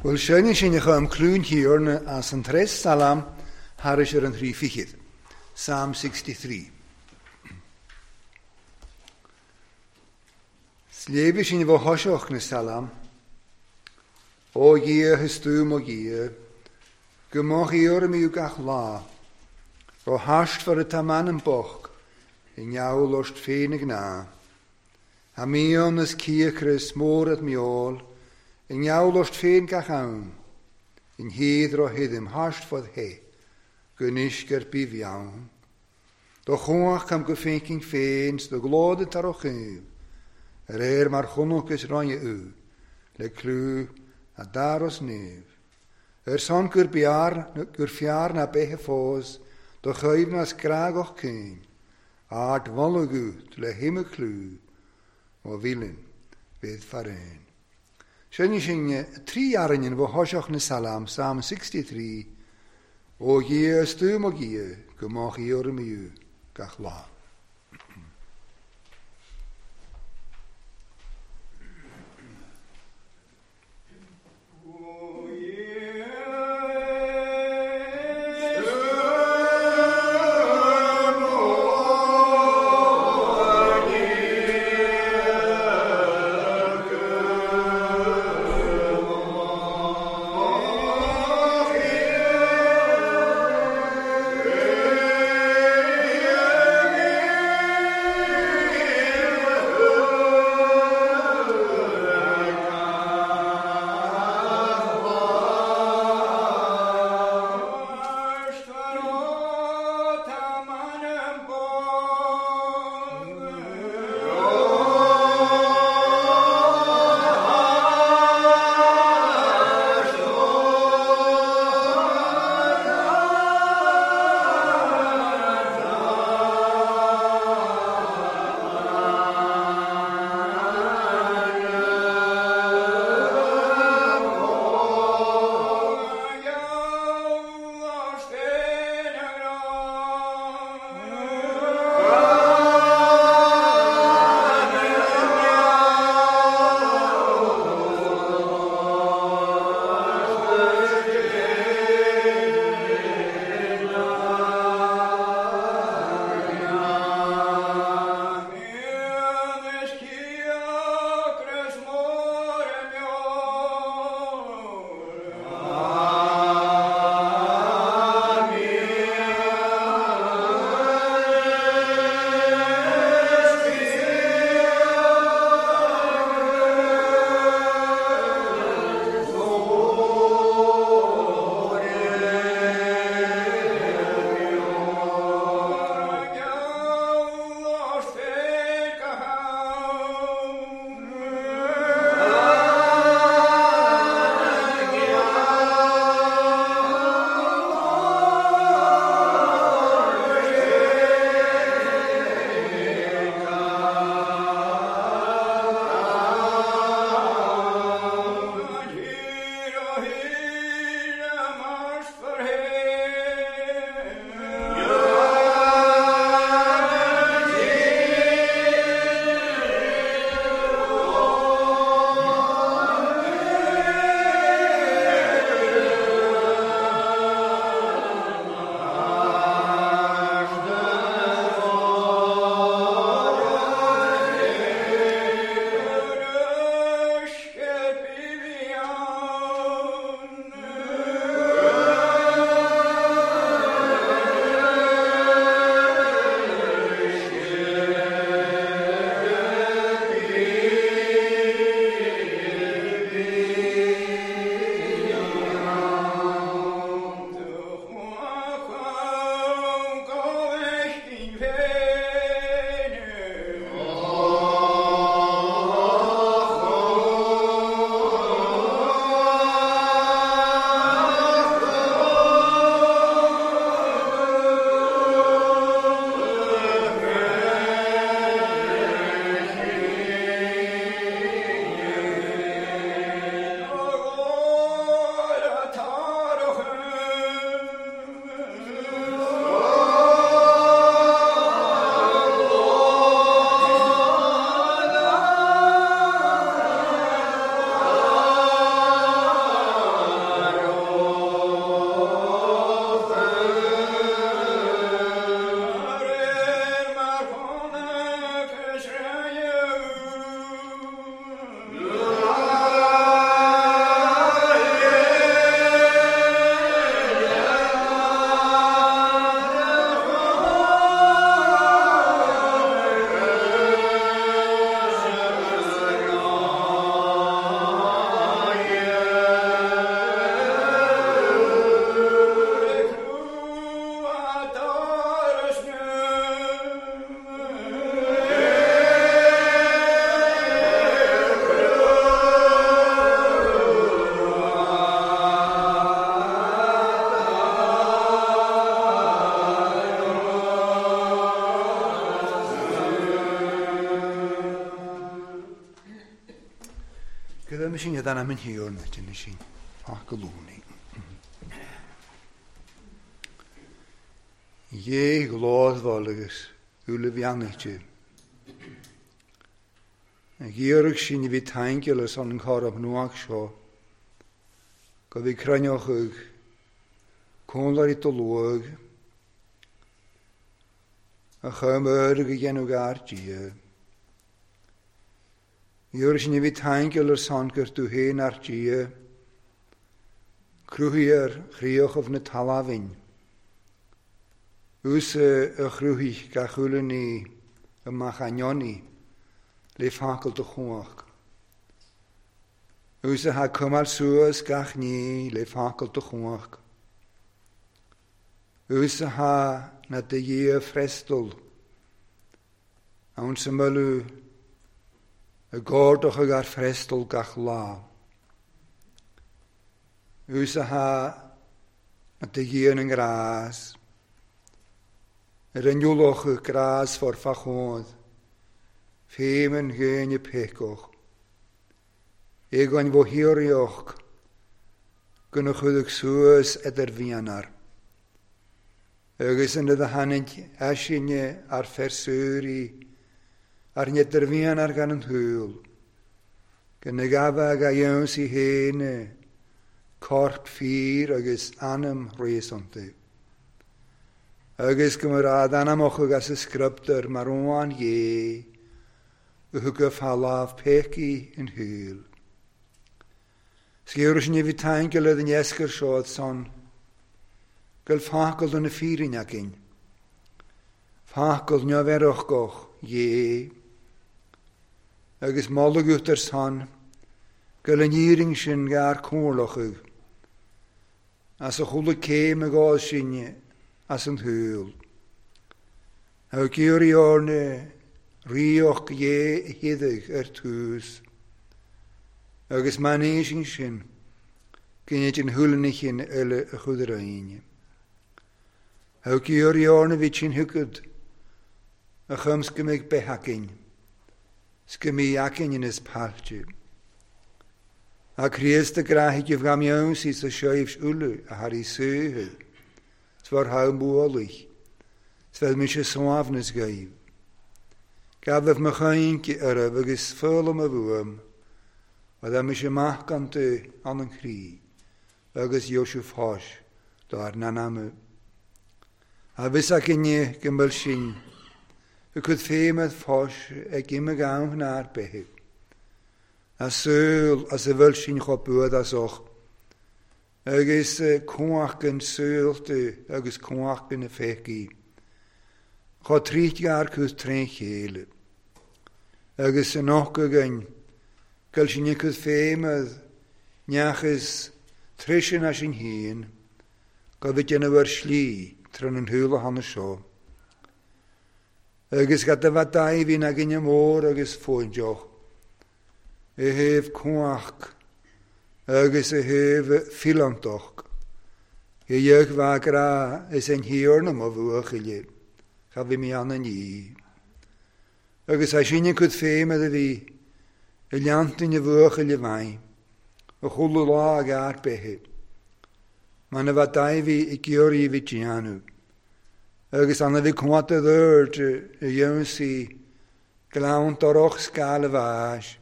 Bhuel sin sin a chum clún thiarna as an tres salam thairis ar an thrí fichid. Psalm 63. Sléibhe sin bh thoiseach na salam, Ó Dhia is tú mo Dhia, go mbeadh iarraim gach lá, ó thaiscfear atá m'anam bocht i ngeall ort féin a gnáth. A mian is cíocras mór at meol, i ngeall ort féin gach am, in héad ro hidim thaiscfad hé, go n-uisce ar bith bheann. Do chuach cam go féinceann féin 's do ghlód tar ó chuimh, ar aer mar chonach is roinne ú, le clú a daros nimh. Ar son gur bearr gur fearr ná beithe fós, do chuimhneas grágach cinn, ard mholadh le hime clú, ó mhílinn bhéad faraon. Sin sin trí arainn bh thoiseach na salam, Psalm 63, Ó Dhia is tú mo Dhia, go mbeadh iarraim gach lá. Yeah. Gyda mi sy'n ydan am yn hir na dyn sy'n ffagalwni. Ie glóðval agus ulevianite. Gíorach sin bhí taingelas an chorab nuach seo, go bhí cruinneochadh cónlairí do luag, a chumar go dhéanamh gar Dia. Iarraidh sin a bhí taingeal ar son gur tú féin ár Dia, cruthaigh ar chríochaibh na talmhain. Thusa a chruthaigh gach uile ní amach ainneoin le focal do chumhacht. Thusa atá ag coimeád suas gach ní le focal do chumhacht. Thusa atá na do Dhia freastal ann sa mholadh i gcomhordachadh ár freastal gach lá. Thusa atá do Dhia na ngrás, ar a n-ualach grásmhar fá chód, fém an ghéine péacach, éagain bhó thíoraíoch gona chuideadh suas idir mhianar. Agus ina do tháinig eisinne ár fersúirí ar n-idirmhianar gan an tsúil, go na gabhadh a dheonsaí féin corp fíor agus anam réasúnta, agus go mba raibh d'anamachadh as a scrioptúr mar uan Dhé a thugadh fá lámh péacaí an shaoil. Sciorr sin a bhí taingeal ar an eascair seo san go bhfuil focal do na fírinne againn, focal neamh-earrachach Dhé, agus moladh uait ar son go bhfuil an fhírinne sin gar comhairleachadh as a chuala céim a gcás sin as an tsaol. Ag iarraidh orainne ríocht Dhé a shéideadh ar tús, agus man éisinn sin, go ndéanfaidh an shúil chinn eile a chuid orainne. Ag iarraidh orainne bhí sin thuigfead a chum 's go mbeidh beith againn, 's go mbeidh againn ina páilte. A Chríost a gcraithfidh a bhgam sa seoibh uile a thar í saothair, 's bhur thogh bualaigh, 's bheadh mise suaimhneas dhaoibh. Gabhaibh mo chaoinche oraibh agus foghlaim a bhuaim, a bheadh mise macánta ann an chroí, agus Iósif fáis dár n-anama. A bhfios againne go mbeadh sin a cuid féimh fáis ag imigh ann ár bith. A súil as a bhfuil sin chomh buadásach, agus cumhacht an saolta agus cumhacht na féicí, chomh tríd gar cús trén chéile. Agus san oc againn, go bhfuil sin a cuid féimh neachas treisin as sin féin, go bhfuil déanamh ar slí trín an shúil a thána seo. Agus gad a bheith daimhín againne mór agus fóindeach, i thaobh cumhacht agus i thaobh filantach, i dheich bhfeagra is an thiarna mo bhuachaille, cha bhí mé ann inní. Agus é sin an cuid féim a bhí i leantain a bhuachaille bhain, a chuala lá ag ár beithe, man a bheith daimhí i gciorraí a bhí déanamh, agus an a bhí cumhacht a dúirt a dheonsaí gleann dorach scáil a bháis,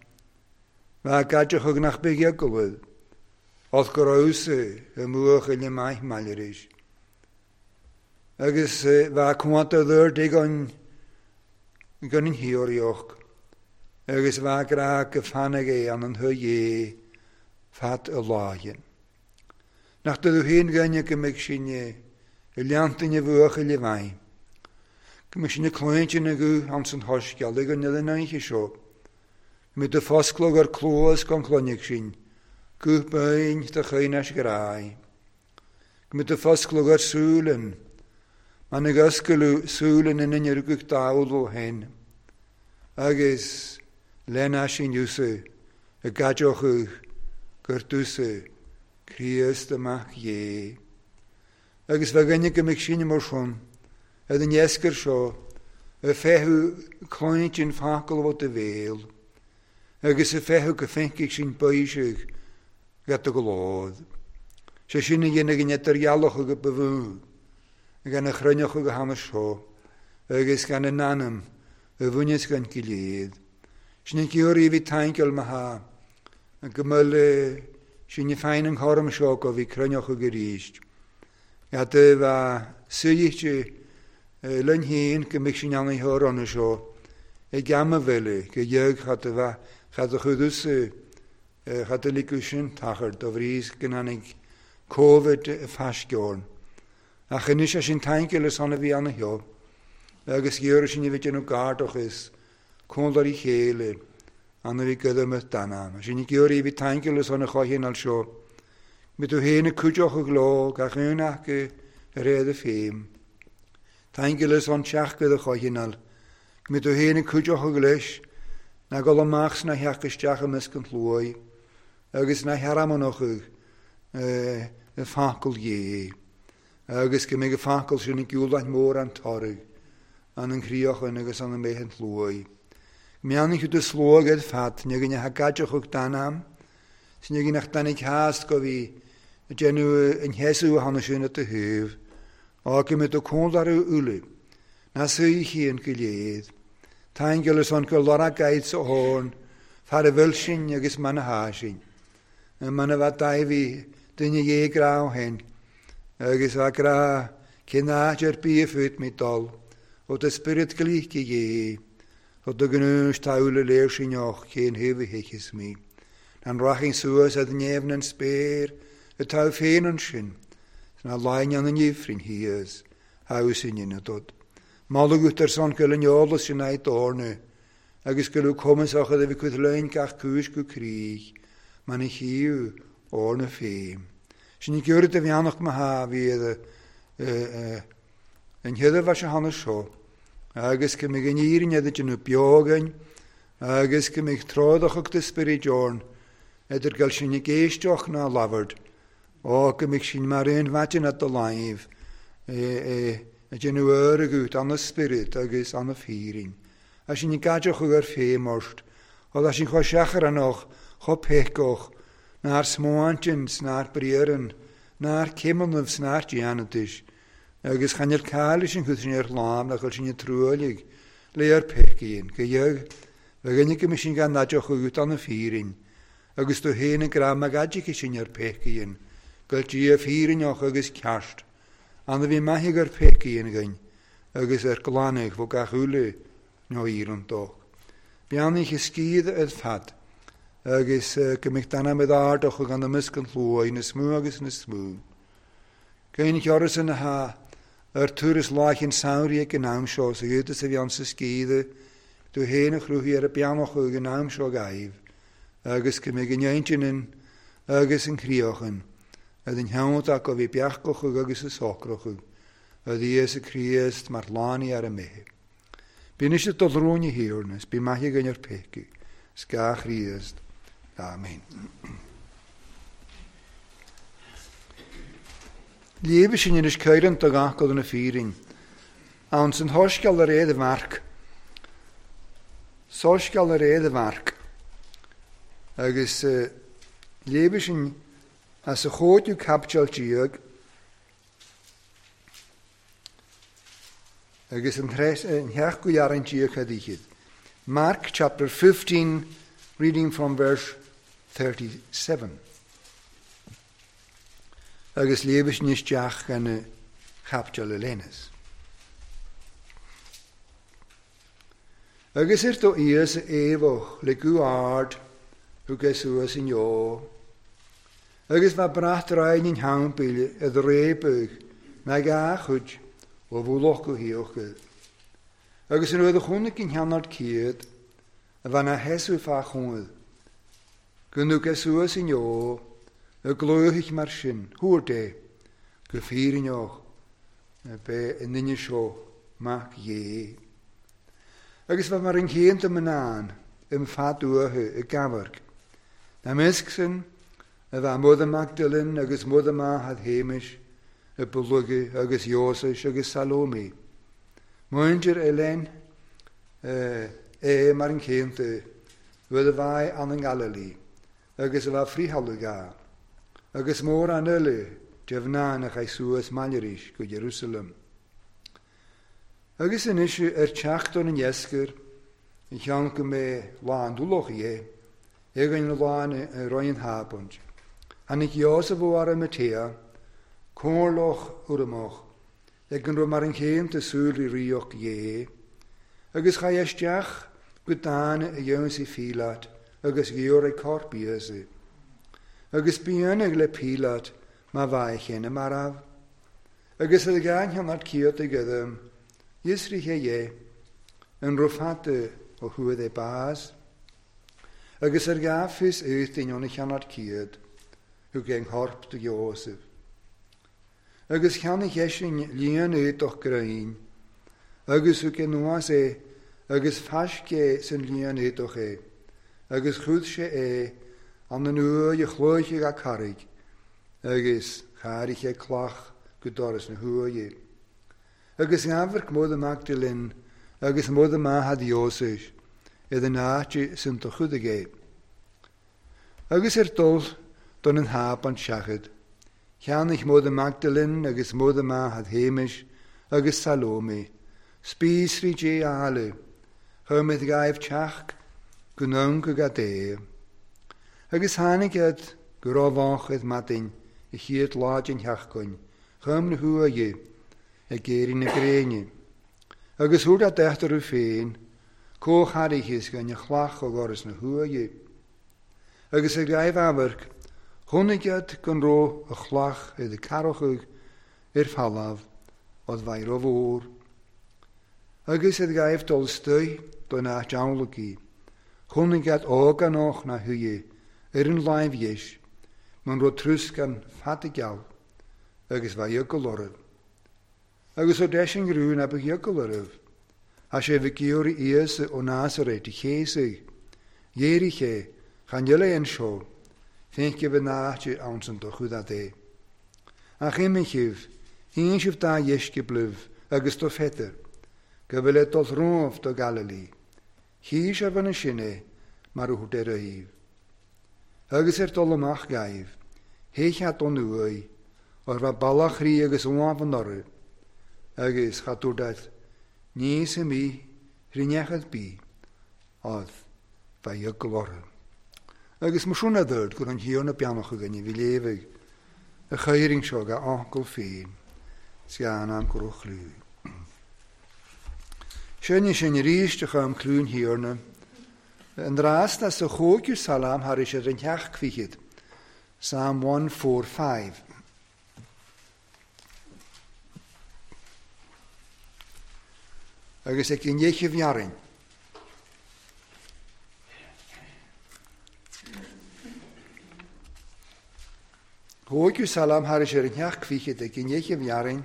bheith gaide chug nach beidh eaglad, os go raibh i mbuachaille maith maileris. Agus bheith cumhacht a dúirt ag an gan an thíoraíocht, agus bheith grá go fanadh é an an thuigh fad a lághan. Nach do féin gainne go mbeidh sin i leantain a bhuachaille bhain, go mbeidh sin ag cluinte na guth an san thoisceal ag an uile oíche seo, go mbeidh do fosclóg ar cluas gan cloineadh sin, guth bain do chaoineas ghrái. Go mbeidh do fosclóg ar súileann, man ag oscailiú súileann in inne rugadh dall ó shin, agus lena sin úsa a gcaidreochadh gur túsa Críost amach Dhé. Agus bheith gainne go mbeidh sin mar sin, ar an eascair seo, a feitheadh cluinte an focal ó do bhéal, Agus a feitheamh go feicfidh sinn baiseadh go do ghlór. Sé sin a dhéanfaidh an idirdhealach go ba mhó gan a chruinneochadh go hana seo agus gan a n-anam a bhaineas gan giléad. Sin an giorria a bhí tainceáil mo tha go mbeadh le sin féin an chorm seo go bhí cruinneochadh arís. Gad a bheith suidhte linn féin go mbeadh sinn ann a ronna seo ag am a bhfeile go dheag chad a bheith chad a chuideas chad a ligeadh sin tachar do bhríos go n-tháinig Covid i bhfaisceorn. Ach anois é sin tainceáil ar son a bhí ann seo agus ghiorra sin a bhí déanamh gardachas conlóirí chéile an a bhí goidimid d'anam. Sin giorria a bhí tainceáil ar son a choicheann seo. Mé tú féin ag cuideochadh leo gach aon acu ar éad a féim. Tainceáil ar son teach go do choicheann. Mé tú féin ag cuideochadh leis ná gol amach sna theach isteach i measc an tslóigh agus na hearamanochadh i facal dhé. Agus go mbeidh a facal sin i gciúlaith mór an toradh an an chríochan agus an mbeidh an tslóigh. Meannaigh do slóigh ar fad, ní go neach gaideachadh d'anam, sin go nach danig theas go bhí déanamh an cheasú a thána sin at do thaobh, á go mbeidh do cónlarú uile, na suí chéan go léad. Taingeal is an go lora gaid sa horn, fear a bhfuil sin agus man a há sin. Man a bheith daimhí duine dhé grá hen, agus a grá cén áit ar bith a fút mé dul, ó do spiorad glíce dhé, ó do gnúis táúla léir sin och cén thaobh a thiocfas mé. An rachainn suas ad neamh an spéir atá féin ansin, sna láin an ifrinn thíos, agus in ionad. Moladh ar son go an eolas sin aghaidh d'orna, agus go raibh cumasach a bhí cuid lein gach cúis go críoch, man a chíú orna féin. Sin i gcuireadh de bheannach mo tha bhí an chéad bheith se thána seo, agus go mbeidh an fhírinne idir déanamh beogain, agus go mbeidh tráthach de spiorad orn, idir gael sin ag éisteach ná labhairt, ó go mbeidh sin mar aon mhaidin at do láimh, a déanamh airgead an na spiorad agus an na fírin. A sin i gcaidreach ar féimorst, ó leis sin chomh seachránach, chomh péiceach, nár smáintin, nár briaran, nár céimeannaibh, nár déanadais, agus chan ar cáil sin chun sin ar lámh nach bhfuil sin i truailigh le ar péicín, go dheag, bheadh duine go mbeidh sin gan naideach agat an na fírin, agus tú féin ag rá mag aidíce sin ar péicín, go Dia fírinneach agus ceart, an a bhí maith ar péicín againn, agus ar glanadh bhó gach uile nó iarrann dó. Beannaigh a scíth ar fad, agus go mbeidh d'anam id ardach gan a measc an tslóigh na smú agus na smú. Cén cheoras ina tha ar turas láichin samhraidh ag an am seo sa ghiúdas a bhí ann sa scíth, tú féin a chruthaigh ar a beannach ag an am seo gaibh, agus go mbeidh an intinn agus an chríochan, a den cheann acu a bhí beachach agus a socrach, a Íosa Críost mar lánaí ar a mbéith. Bíonn siad do dhrúine thiarnas, bí maith againn ar péice, scá Chríost. Amen. Léamh sin anois caireann do gach go na fírin. Ann san thosceal ar éad a mharc. Sosceal ar éad a mharc. Agus léamh sin as a chóidiú caipiteal díog agus an theach go dhearann díog a dhíchead. Mark chapter 15, reading from verse 37. Agus léamh sin isteach gan a chaipiteal a léanas. Agus ar do Íosa éabhach le go ard thug é suas inniu. Agus bheith brat ráin in theampaill i réabadh na gá chuid ó bhúlach go híocha. Agus an rud a chonaic an cheannard céad a bheith na heasú fá chónaí. Go ndug é suas inniu a glóthaigh mar sin, thuair dé, go fírinneach be an duine seo mac dhé. Agus bheith mar an chéan do mnáin im fad uathu i gcabharc. Na measc sin a bheith Mother Magdalene agus Mother Mahad Hamish i Bulugi agus Iosais agus Salome. Muintir Elaine é mar an chéanta. rud a bhaidh ann i nGaililí agus a bha friothálú ga, agus mórán eile de mhná na chaith suas maille arís go Ierusalem. Agus anois ar teacht don an iascair, an cheann go mbeidh lá an dúlach é, againn an lá i Roinn an Thabaint. Tháinig Iósaf ó Aramatea, comhairleach urramach, ag an raibh mar an chéim de súil i ríocht Dhé, agus chaith isteach go dána a dhéansaí Phílát agus ghiorraigh corp Íosa. Agus b'ionadh le Pílát má bha a chéanna marbh. Agus a gceann ciot ag idem, fhiosraithe dhé, an raibh fada ó thuaidh é bás. Agus ar gá fios étain óna cheannat ciad, thug é an chorp do Iósaf. Agus cheannaigh eisean líon éadach gréin, agus thug é anuas é, agus fáisc é san líon éadach é, agus chuid sé é an an uaigh a chloiche ga carraig, agus chairigh sé cloch go doras na huaighe. Agus amharc Muire Magdalene agus Muire Maithe Iósaf ar an áit san do chuidigh é. Agus ar dul don an háb an seachad, cheannaigh Muire Magdalene agus Muire Maithe Shéamais agus Salome, spíosraí dé áille, chuir gaibh teach go n go gadé. Agus tháinig iad go raibh id maidin i chéad lá den sheachtain, chum na huaighe ag éirí na gréine. Agus thuair a deachtarú féin, comhcharichis gan a chlach ó dhoras na huaighe. Agus ag gaibh amharc, chonaic iad gan raibh a chlach i do carachadh ar falamh od bhaidh rómhór. Agus ag gaibh dul istoigh don áit amhlaidh, chonaic iad óganach na huaighe ar an láimh dheis, man raibh trúscan fada geal, agus bhaidh eagal orthu. Agus ó deis an ghrún a bheadh eagal orthu, a sé bhí giorraí Íosa ó Nazaret i chéasaigh, dhéirigh sé chan eile anseo, féince bheith náite ann san do chuid é. Ach imigh híon sibh dá dheisce blibh agus do Pheter, go bhfuil é dul romhaibh do Galilee. Chí sé bhana sin é mar a thuair ar aoibh. Agus ar dul amach gaibh, théichead ón uaigh, ar bheith ballach rí agus uamh an orthu, agus cha dúirt níos imí rinneachad bí, ad bheith eagal orthu. Agus mar sin a dúirt gur an thiar na beannach againn a bhí léamhaigh, a chaoirinn seo ga uncail féin, 's gan am go raibh chlú. Sinne sin arís a chum clún thiarna, an rasta sa chóigiú salam thar éis ar an theach fichead, Psalm 145. Agus ag an dhéiche bhearrainn. Thóigiú salam thar éis ar an theach fichead ag an dhéiche bhearrainn.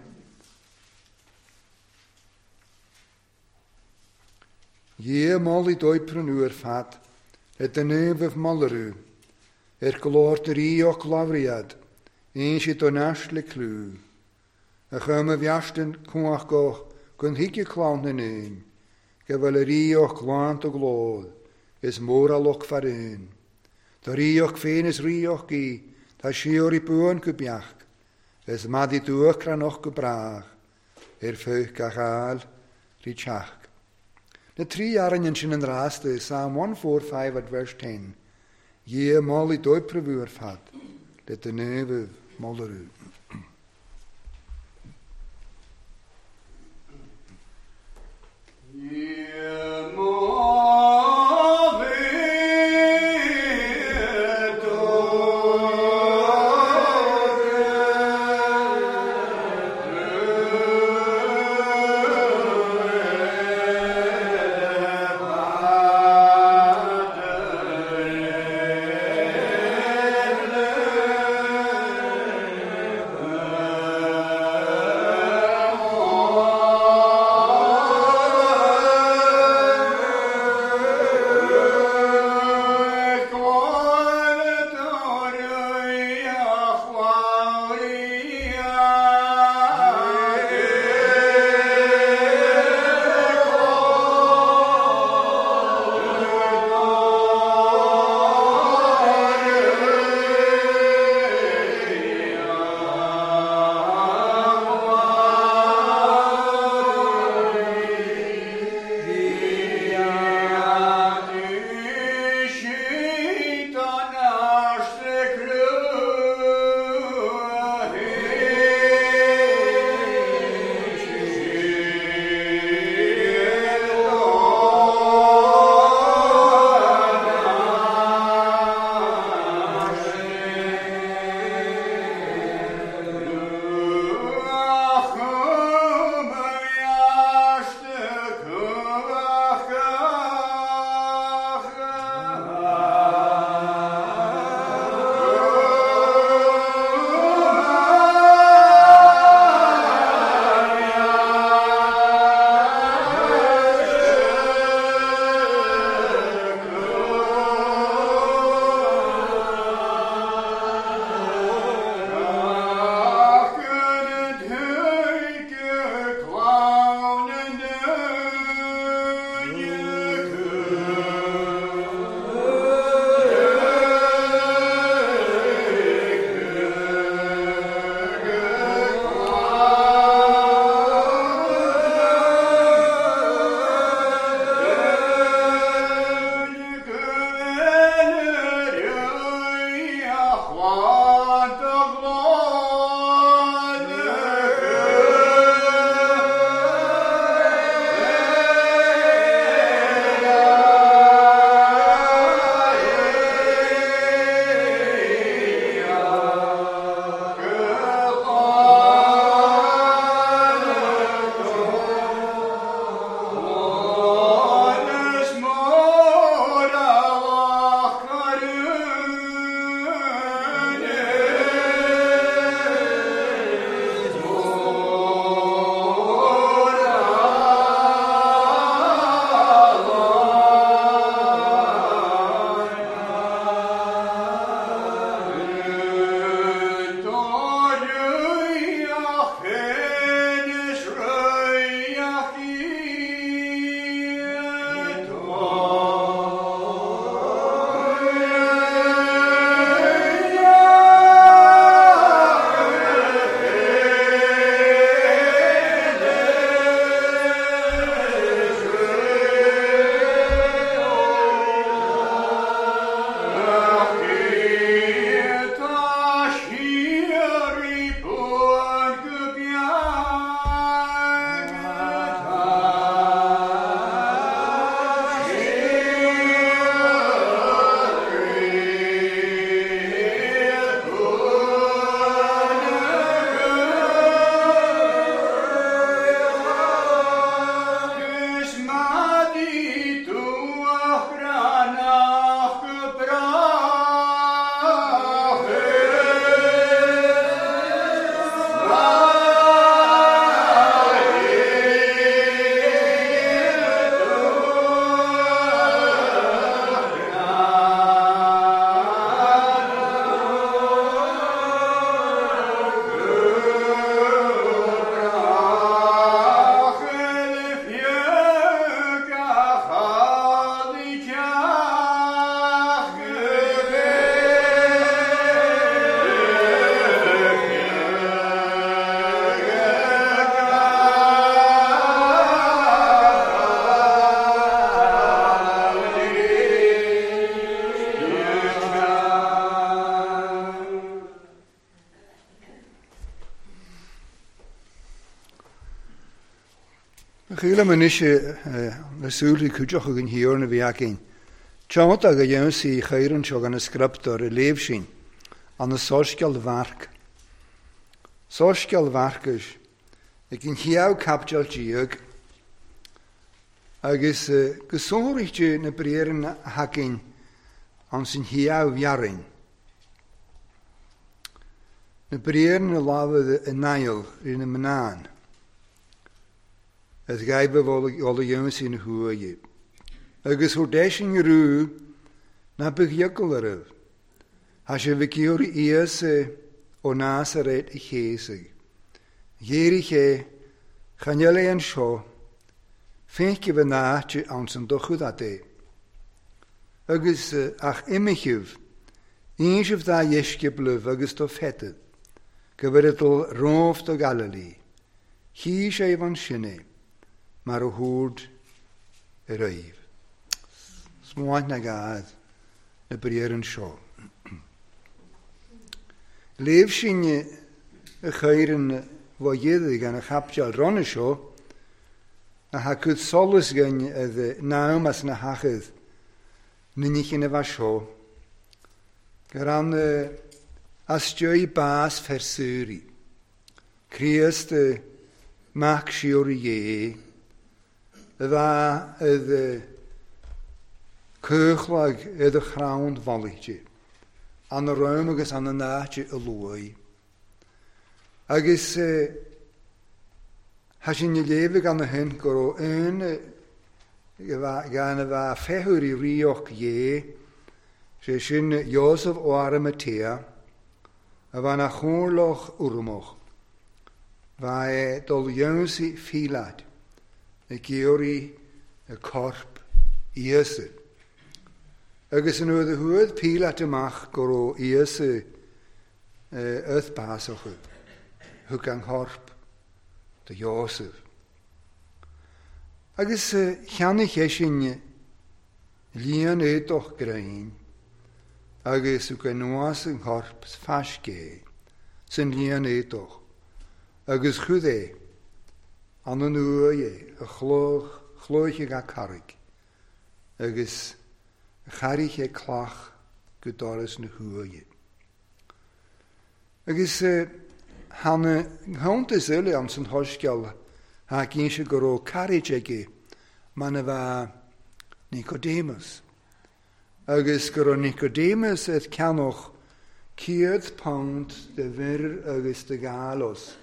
Dhé molaí dóipran uair fad, le duine bheith molarú, ar glór de ríoch labhriad, aon siad don ais le clú. A chum a bheastan cuach goch gon hici clann na nain, go bhfuil a ríoch glan do glór, is mór a loch faraon. Tá ríoch féin is ríoch í, tá siór i buan go beach, is madi dúach noch go brách, ar fuch gach áil rí teach. Na trí arainn ansin an rasta, Psalm 145 at verse 10. Dhé molaí dóipreabhú ar fad, le duine bheith molarú. Dhé molaí dóibh. Chuala mé anois na súilí cuideachta den Thiarna a bhí againn. Teannta go dhéanfaí chaoran seo gan an scrioptúr a léamh sin, an Soiscéal Mhairc. Soiscéal Mharcais, ag an chéad caibidil déag, agus go sonraíte na briathra a thagann anns an chéad bhearrainn. Na briathra a labhair i nDaill rí na mná. As gaibh ola dhéanfaí na huaighe. Agus thur deis an rú ná beadh eagal oraibh. Thá sibh ag iarraidh Íosa ó Nasaret a chéasadh. Dhírigh sé, Chan fheil é anseo, féichibh an áit anns an dochadh at é. Agus ach imithibh, ínsibh dá dheisceablaibh agus do Pheter, go bhfuil dul romhaibh do Galilee. Chí sé ansin é, mar a thabhairt ar aghaidh. Smaoint na gad na briathra seo. Léamh sin a chuireann bhá gan a chaipteal ronna seo, a thacaid solas againn a nám as na hachad ninnichin a bheith seo, gur an asteoidh bás fersúirí. Críost mac siúr Dhé, a bheith cuchlag i do chrann bhailíte, an rám agus an náite a luaigh. Agus thá sin i léamh gan na hin go raibh aon gan a bheith féithiúr i ríocht Dhé, sé sin Joseph ó Arimatea, a bheith na chomhairleach urramach, bheith dul dhéansaí Phílát ag iarraidh a corp Íosa. Agus an uair a chuaigh Pílát amach go raibh Íosa uth bás acu, thug an corp do Joseph. Agus cheannaigh sé sin líon éadach gréin agus thug anuas an corp faisc é san líon éadach agus chuid é an an uaigh é a chlóich ag carraig agus chairigh sé cloch go doras na huaighe. Agus thána cuntas eile ann san shoiscéal tha cinnte go raibh carraig aige man a bheith Nicodemus. Agus go raibh Nicodemus ag ceannach 100 pound de mhir agus de ghalos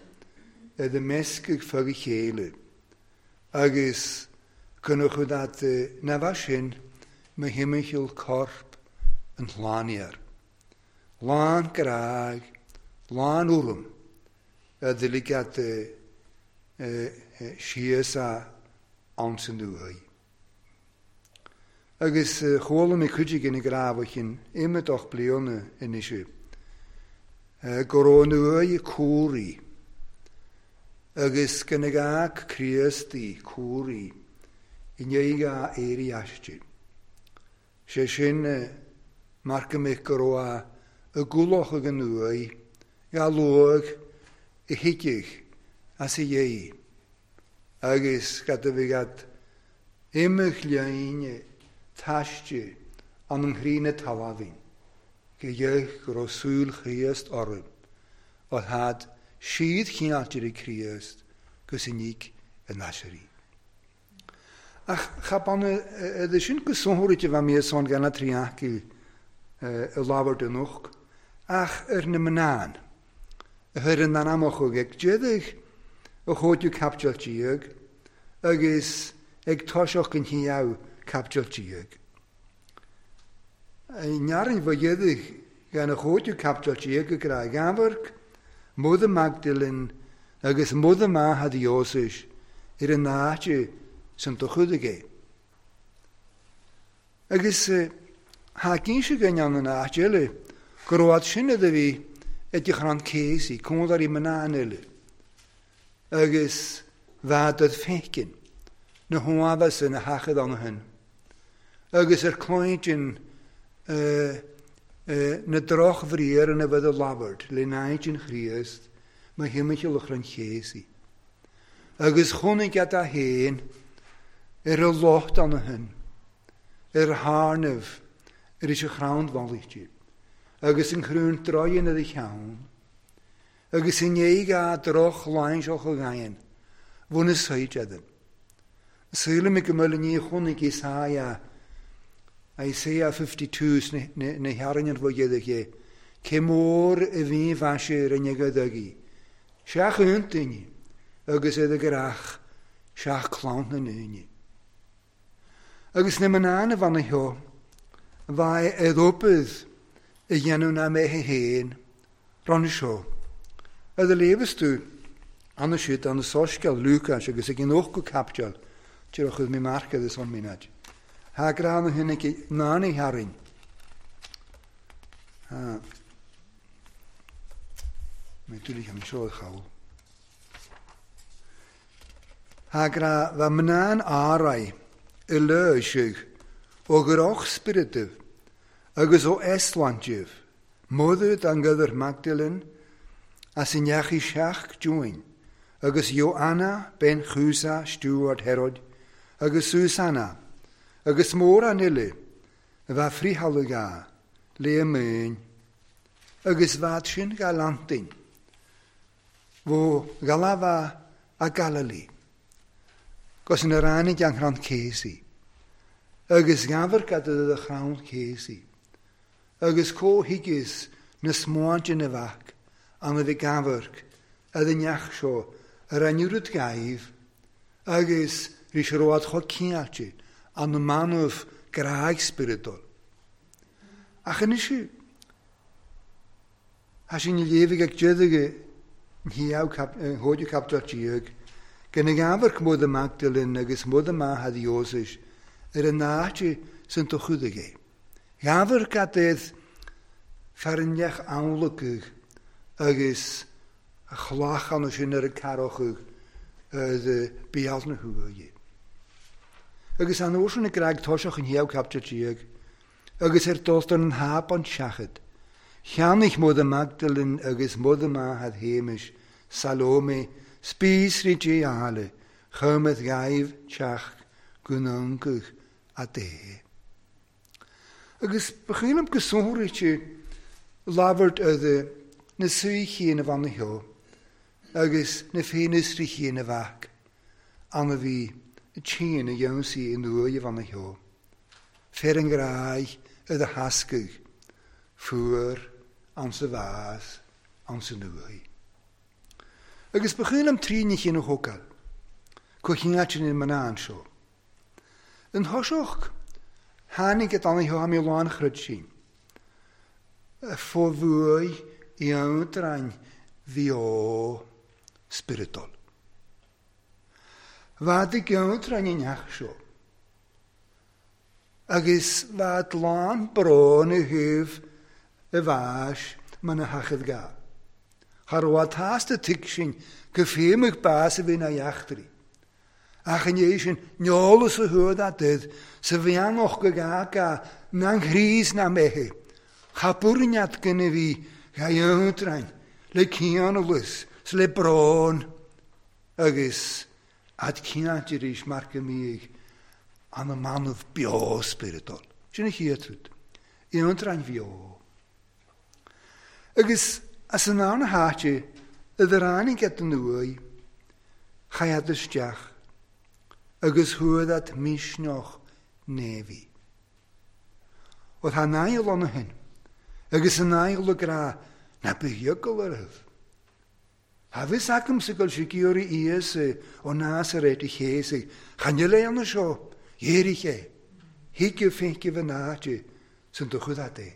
ar a meascadh fá chéile. Agus cunachadh dat na bheith sin mo thimcheall corp an shláinnear. Lán grág, lán urraim a dligead síos a ansan uaidh. Agus chuala mé cuid againn ag rá imeadach bliana anois go raibh an uaigh cúraí agus go na gach Críostaí cúraí i ndiaidh a éirí aisti. Sé sin mar go mbeadh go raibh a gcualach ag an uaigh, ga luaigh i thuigfeadh as a dhéidh, agus cad a bhí agat imigh léine taiste an an chríne talamhain, go dhéidh go raibh súil Chríost orthu, ó thad siad chineáilte ag Críost gus i níc a n-aisirí. Ach cha ban iad sin go sonrite bheith mé son gan a trí acu i labhairt anocht, ach ar na mná a chuir an anamach ag déadach a chóidiú caipiteal déag agus ag toiseach an chéad caipiteal déag. Nearann bha dhéadach gan a chóidiú caipiteal déag go gra ghamharc, Mother Magdalene agus Mother Mahad Iósis ar an áite san do chuidigh é. Agus thá cinnte go ndéanann an áit eile go raibh sin a bhí ag chrann céasaí, cónairí mná eile. Agus bheadh fécin na huabhas ina hachad ann hin. Agus ar clointin na drochbhriar ina bheith a labhairt le náid an Chríost má thimcheall a chrann céasaí. Agus chonaic iad a fhéin ar a lucht ann shin, ar a thairneamh ar is a chrann mhallaithe, agus an chrúint draighean ar a cheann, agus i ndiaidh a droch-lainseach a ghain, bhun a saoid eadhon. Sílim go mbeadh ní chonaic Isaiah, Isaiah 52 sna na hearrainn an bhuidéad aici, cé mór a bhí mhaise ar an ag agaí. Seach aontaoine agus iad ag rach seach clann na ndaoine. Agus na mná na bhanna seo, bha é dópad a dhéanamh ná mé féin ron seo. Ad a léamhas tú anna siad an soiscéal Lúcáis agus ag an ochtú caipiteal, díreach mé marca agus an mínad. Thá grá na hinne nána tharainn. Mé an seo chawl. Thá grá bha mná'n árai i leisig ó groch spiritif agus ó eslantif, modu dan gyda'r Magdalen as yn iachu siach dwy'n, agus Joanna ben Chusa Stuart Herod, agus Susanna, agus mór an ile, a bha frihalag a, le myn, agus bhad sin galantin, fo galafa a Galili, gos yn yr anig anghran cesi, agus gafar gada y chrawn cesi, agus có higis na smáinte na bhac an a bhí gafar a dneach seo ar an rud gaibh, agus rí sé road cho ciáte an na manamh graig spiritol. Ach anois Tá sin léamh ag déadaige hóide captar tíag, gan ag amharc mód a Magdalene agus mód amach a Jósis ar an áite san do chudaigh é. Ghabhar cad fearneach amhlacaigh agus a chlachan sin ar an carachadh de beal na huaighe. Agus an uair sin ag graig toiseach an chéad captar tíag, agus ar dul an hap an seachad, cheannaigh mód a Magdalene agus mód amach a Hamish, Salome, spíosraí dé eile, chumad gaibh teach gnóncaigh a dé. Agus ba chuimhin go sonraíte labhairt de na suí chéin a bhanna sheo, agus na féinúsraí chéin a bhac, an a bhí tséin a dhéansaí in uaigh a bhanna sheo. Fer an gráig a do thascaigh, fuar an sa bhás an sa nuaigh. Agus ba chuimhin liom trí ní chéin a thógáil, go chinneáil in mná seo. An thoiseach tháinig a danna seo mé lán chrud sin. Fó bhuaigh i antrain bheo spiritol. Bhad i gceantrain i neach seo. Agus bhad lán brón i thaobh i bhais man a thachad ga. Char bhad tásta tig sin go féimidh bás a bhí na eachtraí. Ach an é sin neolas a thuad a did sa bheannach go gaga na ghríos na méithe. Cha burneat gynna fi ga iontrain le cianalus s le brón agus ad cianat arís mar go mbíodh an manamh beo spiritol. Sin a chéad rud. Iontrain bheo. Agus as an ann háite idir ráinig at an uaigh, chaith isteach agus thuad at misneach néimhí. Ó tá náil ann shin, agus an náil le grá na bheagal orthu. Tá bhfios agamsa go bhfuil sé giorraí Íosa ó Nazaret a chéasaigh, chan fhuil é ann seo, dhéirigh é, thuig féince an áite san do chud é.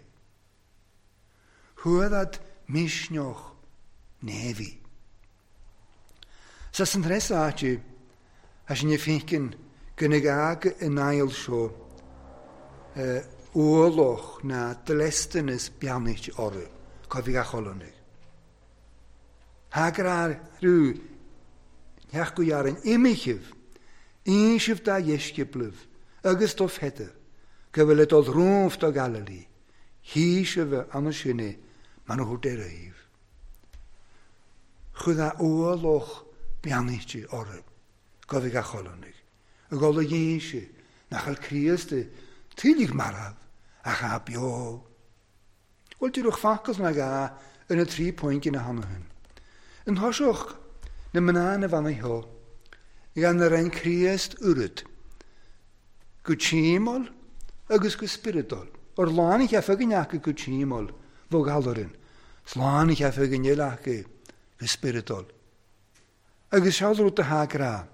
Thuad misneach néimhí. Sa san tres áite, a sin féinceann go na gaga in náil seo ualach na dlestanas beannacht orthu, cá bhí gach olannaigh. Thagar rú neach go dhearann imichibh, insibh dá dheisceaplaibh agus do Pheter, go bhfuil dul romhaibh do Galilee, hísibh anna sinne man a thabhairt ar aoibh. Chud a ualach beannacht orthu. go bhí gach oileánaigh, ag dul a dh'inse nach bhfuil Críost tuilleadh marbh ach atá beo. Bhuel, díreach focal ná gá ar na tri phointe ina theannta sin. An thoiseach na mná na bheannaí seo, gan a roinn Críost oiread, go tímeáil agus go spioradúil. Ar lán a cheapfadh againn acu go tímeáil, bheadh orainn, 's lán a cheapfadh againn eile acu go spioradúil. Agus seo rud atá grá.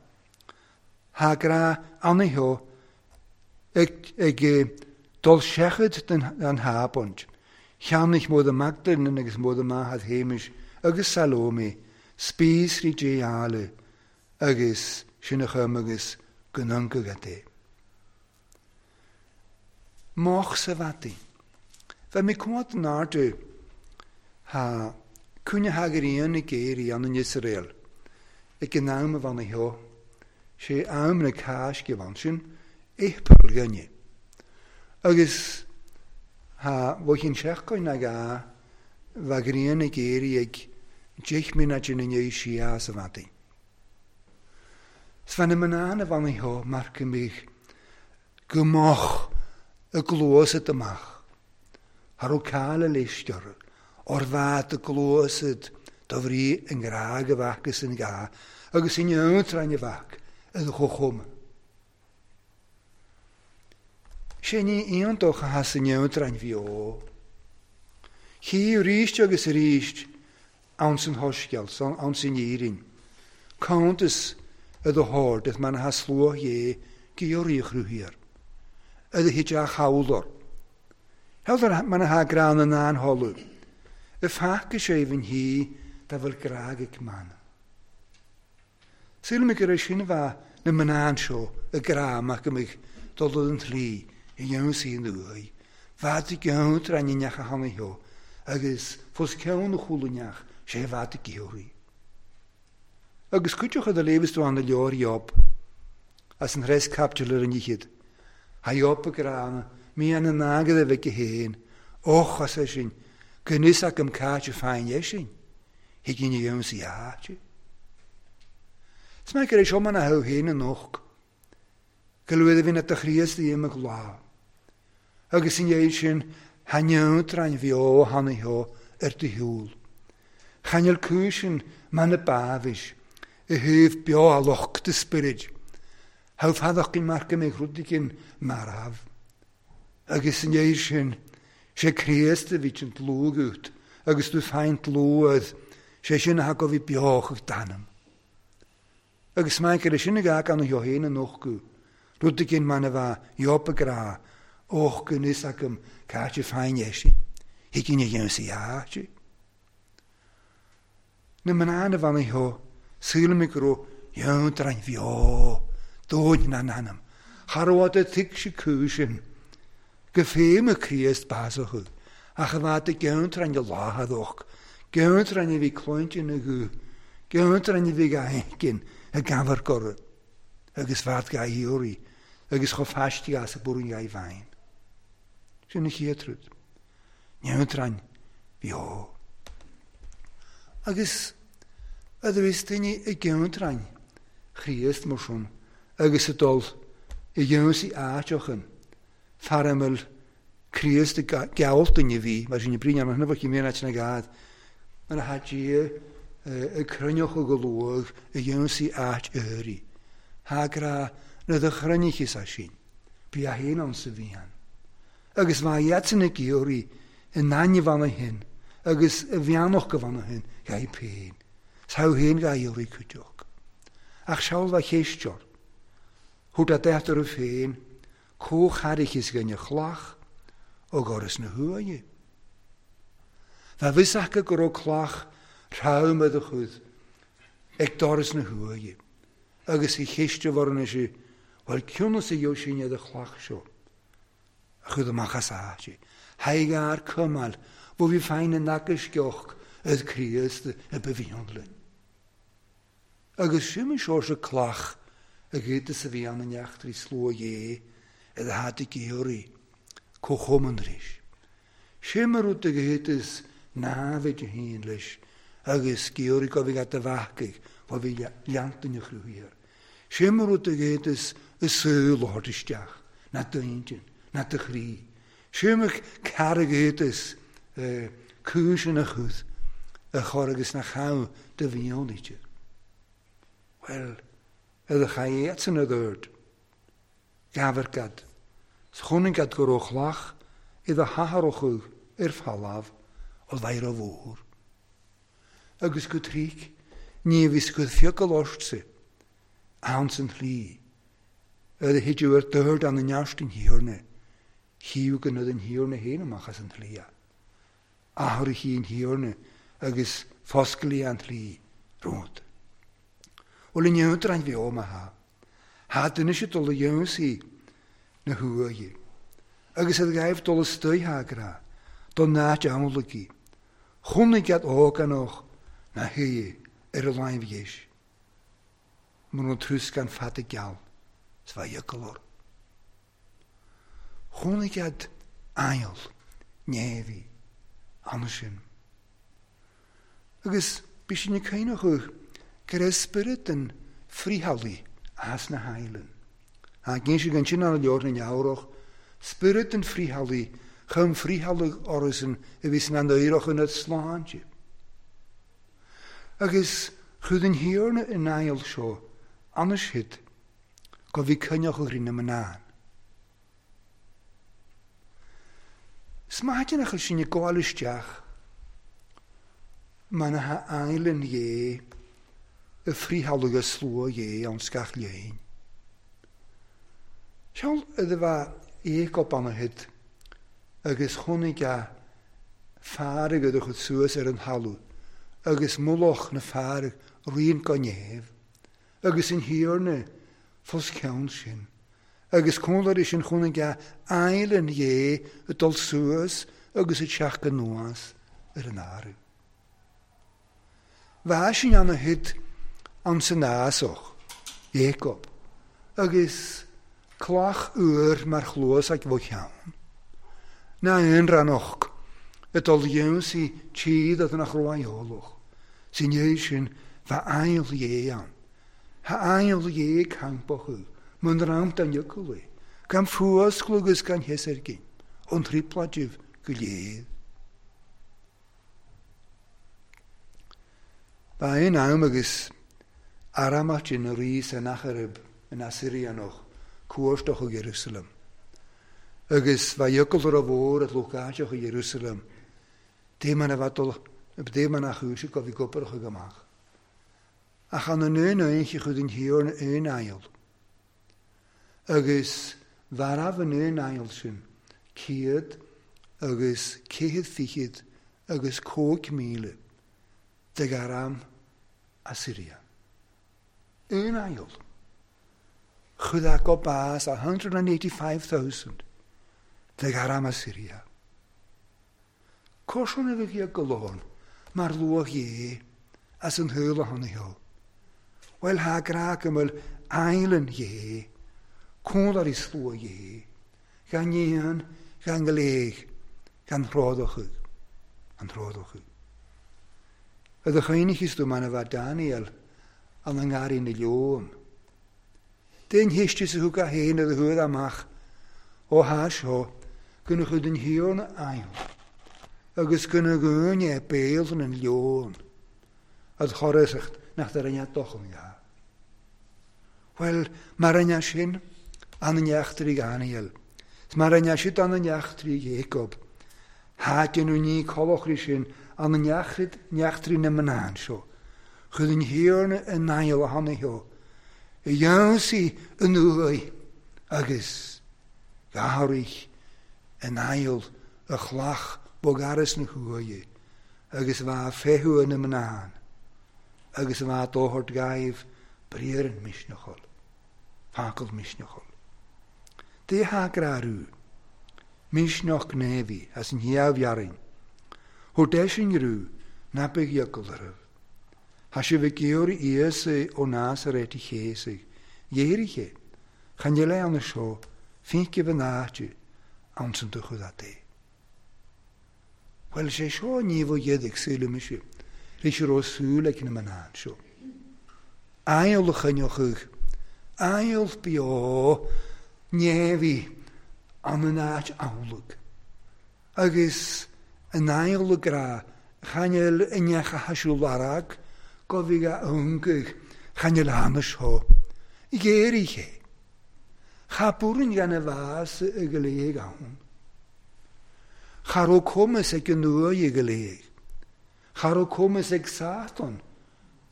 Thá grá ana-theo ag dul seachad den thábhaint. Cheannaigh Móda Magdalene agus Móda Maithe Shéamais agus Salome spíosraí Dé áille agus sin a chum agus go n-ioncaidh agat é. Moch sa bhfataí. Bheadh mé cumhacht in airde thá cúinne thá ghrian ag éirí ann in Iosrael ag an am a bhean seo, sé am na Cásce bhean sin, April ghainne. Agus thá bhfuigh an seachtain ag a bheadh grian ag éirí ag 10 mionait ina ndiaidh siar sa bhfataí. 'S bhean na mná na bhean seo mar go mbeadh go moch a gcluasad amach. Cha raibh cáil a léist orthu, óir bheadh a gcluasad do bhrí i ngrá go bhfeac is an gá agus in iontrainn a bheadh i do chomhchuma. Sé ní iontach a theas in iontrainn bheo. Chí arís agus arís ann san shoiscéal, ann san Fhírinn. Cuntas i do shord is mar atá sluagh Dhé giorraí a chruthaíor, i do thit a chabhlor. Sheoltar mar atá grá na n-anfholadh, i phaca sé bhinn thí dá bhfuil grá ag mana. Sílim gur é sin a bheadh na mná anseo ag grá amach go mbeadh dul an tslí a dhéanamh an uaidh. Bheadh i gceann tráth na neach a tháinig theo agus fós ceann a chúla neach sé bheadh i gciorraí. Agus cuideochaidh do léamh is tú ann a leabhar Iob as an threis caipiteal ar an fhichead. Thá Iob ag rá ann, mian an agallaimh aige féin, Och, as é sin, go n-fhios agam cá háit a fáin é sin. Thig ina ionsaí áite. Is maith gur é seo mar a thabh féin anocht, go luath a bhíonn do Chríost i imeacht lá. Agus i ndiaidh sin, tha neodrainn bheo tháinig theo ar do shiúl. Chan fhuil cúiseann mar na bábhais i thaobh beo a lucht a spioraid. Thabh fadach gin mar go mbeidh rud éigin marbh. Agus i ndiaidh sin, sé Críost a bhí an dlúth agat, agus tú féin dlúth, sé sin atá go bhí beo chuig d'anam. Agus maith gur é sin a gá gan a theo féin a nochtadh, rud éigin mar a bheadh Job ag rá, Och, gan fhios agam cá háit a féin é sin, thig ina dhéanamh áite. Na mná na bheannaí seo, sílim go raibh iontrainn bheo dóinn ina n-anam. Cha raibh fhad a thuig sí cúis sin go féim a Chríost bás acu, ach a bheadh i gceantrainn a láthadach, gceantrainn a bhí cluinte ina ghuth, gceantrainn a bhí ga intinn ag amharc orthu, agus bheadh ga iarraidh agus chomh faistigh as a bpúirn ga i bhfeidhm. Sin an chéad rud. Neodrainn bheo. Agus a bhíos daoine i gceantrainn Chríost mar sin agus ag dul i gceansaí áiteachan, fear a mbeadh Críost ag gealt duine a bhí, mar sin, brí an bhfuil mé áit na gad, mar atá Dia ag cruinneochadh go luath i gceansaí áit uirí. Thá grá na do chruinnichis as sin, bí a fhéin ann sa bhfian. Agus bha iadsan ag iarraidh a n-ainmh ann féin agus a bheannacht go bhfanadh féin dhaoib féin, 's thogh féin dhá iarraidh cuideoch. Ach seal bha chéisteoir, thabhairt a dteacht orthu féin comhcharaicheas dhuine chlach ó dhoras na huaighe. Bha bhfios acu go raibh cloch throm i do chuid ag doras na huaighe, agus a cheist a bhorrann sé, bhuel cionnas a gheobhaidh sin ar do chlach seo? A chuid amach as áit. Thaidhg ár cumail, bho bhí féin in agaisceoch ag Críost a ba mhian linn. Agus sin an seoirse cloch a gcuid is a bhí ann in eachtraí slua Dhé ar a hata géaraí, comhchumann arís. Sin mar rud a gcuid is námhaid a haon leis agus géaraí go bhí at a bheachaigh, bho bhí leantain a chruthaíodh. Sé mar rud a ghéadas i saol a thabhairt isteach, ná d'intinn, ná do chroí. Sé mar cara a ghéadas cúis ina chuth a chur agus na chabh do mhionnaíte. Bhuel, i do chaidh iadsan a dúirt. Gabhair gad, 's chonaic gad go raibh cloch i do hathair ar falamh ó bheidh mhór. Agus go tríc, ní bhí go fiacail ortsa, ann san shlí, ar a thuigeadh ar dord an neart an Thiarna, chíodh go an Thiarna féin amach as an tslí. Athraithe an Thiarna agus fosclaí an tslí romhat. Bhuel, inniu an bheo má thá. Thá duine sé dul a dhéanamh na huaighe. Agus ad ghaibh dul istoigh agra, don áit amhlaidh. Chonaic gad ógánach na huaighe ar a láimh dheis. Mura trúscán fada geal, 's bheadh iocal orm. Chonaic gad aill neamhaí ansin. Agus bhí sin ag caoineadh go raibh spiorad an friothálaí as na haighleann. Ach níl sé ansin an leor na neabhrach, spiorad an friothálaí chum friothálaigh orthusan a bhí san an éireach ina sláinte. Agus chuid an Thiarna in aill seo, anois hit, go bhí coinneach rí na mná. 'S maidin a chuir sin ag gabháil isteach, mar na h-aighleann dhé, y friothálaigh a slua dhé ann gach léin. Seol iddo bheith Iacob anna hit, agus chonaic a fearg a chur suas ar an thalamh, agus mullach na fearg rian go neamh, agus an Thiarna fos ceann sin. Agus cónlair sin chonaic a aighleann dhé ag dul suas agus ag teacht anuas ar an áireamh. Bheadh sin anna hit an san ásach, Jacob, agus cloch úr mar chluas ag bho cheann. Na aon rannach ag dul dhéansaí tíad ad nach raibh eolach. Sin é sin bheadh aill dhé ann. Tha aill dhé campach mun ramt an iocalaí, gan fuasclú agus gan thios ar gin, ón trípláidibh go léir. Ba aon am agus aramach in rí Sennacherib in Assyrianach cuairteach ó Jerusalem. Agus bha iocail a mhór at lucháiteach i Jerusalem, dé man a bheith dul, dé man a chúise go bhí gobarach amach. Ach an an aon aonche chud an Thiarna aon aill. Agus bharabh an aon aill sin, céad agus céad fichead agus 5,000 de aram Assyria. Aon aill. Chud a go bás 185,000 de aram Assyria. Cosán a bheith go lán mar luach dhé as an thuile tháinig theo. Bhuel thá grá go bhfuil aighleann dhé, cónlair i slua dhé, gan dhéan, gan gléig, gan thrádacha, an thrádacha. A do chaoinachas tú man a bheith Daniel an an ngarraí na leon. Déan héiste sa thug a fhéin a do thuad amach ó thá seo go na chud an Thiarna aill, agus go na gúine béal an leon, ad chorasacht nach dar rinne dochan ga. Bhuel, mar rinne sin, an neachtraí Daniel, mar rinne siad an neachtraí Jacob, Thá déanamh ní colachraí sin an neachtraí na mná seo, chud an Thiarna in aill a tháinig theo, a dhéansaí an uaidh agus gabhraigh in aill a chlach bogaras na huaighe, agus bheadh féithiú na mná, agus bheadh dóthart gaibh briathar misneachal, focal misneachal. Dé tha grarú, misneach gnéimhí as an hiamh-dhearainn, Thó deisin rú ná beidh iocail oraibh. Thá sibh ag iarraidh Íosa ó Nazaret a chéasadh, dhéirigh é, chan eile ann seo, fincibh an áite, ann san do chud é. Bhuel, sé seo ní bhfuil iad ag súil mise, rí sé raibh súil ag na mná seo. Aill a choinneochadh Ail beo neamhaí an in áit amhlaidh. Agus an ail grá chan fhuil i ndeich a thaisiú lorg go bhí a iongaidh chan fhuil ann seo. Ghéaraigh sé. Cha buaireann gan a bhás i go léig ann. Cha raibh cumas ag an uaigh i go léig. Cha raibh cumas ag Sátan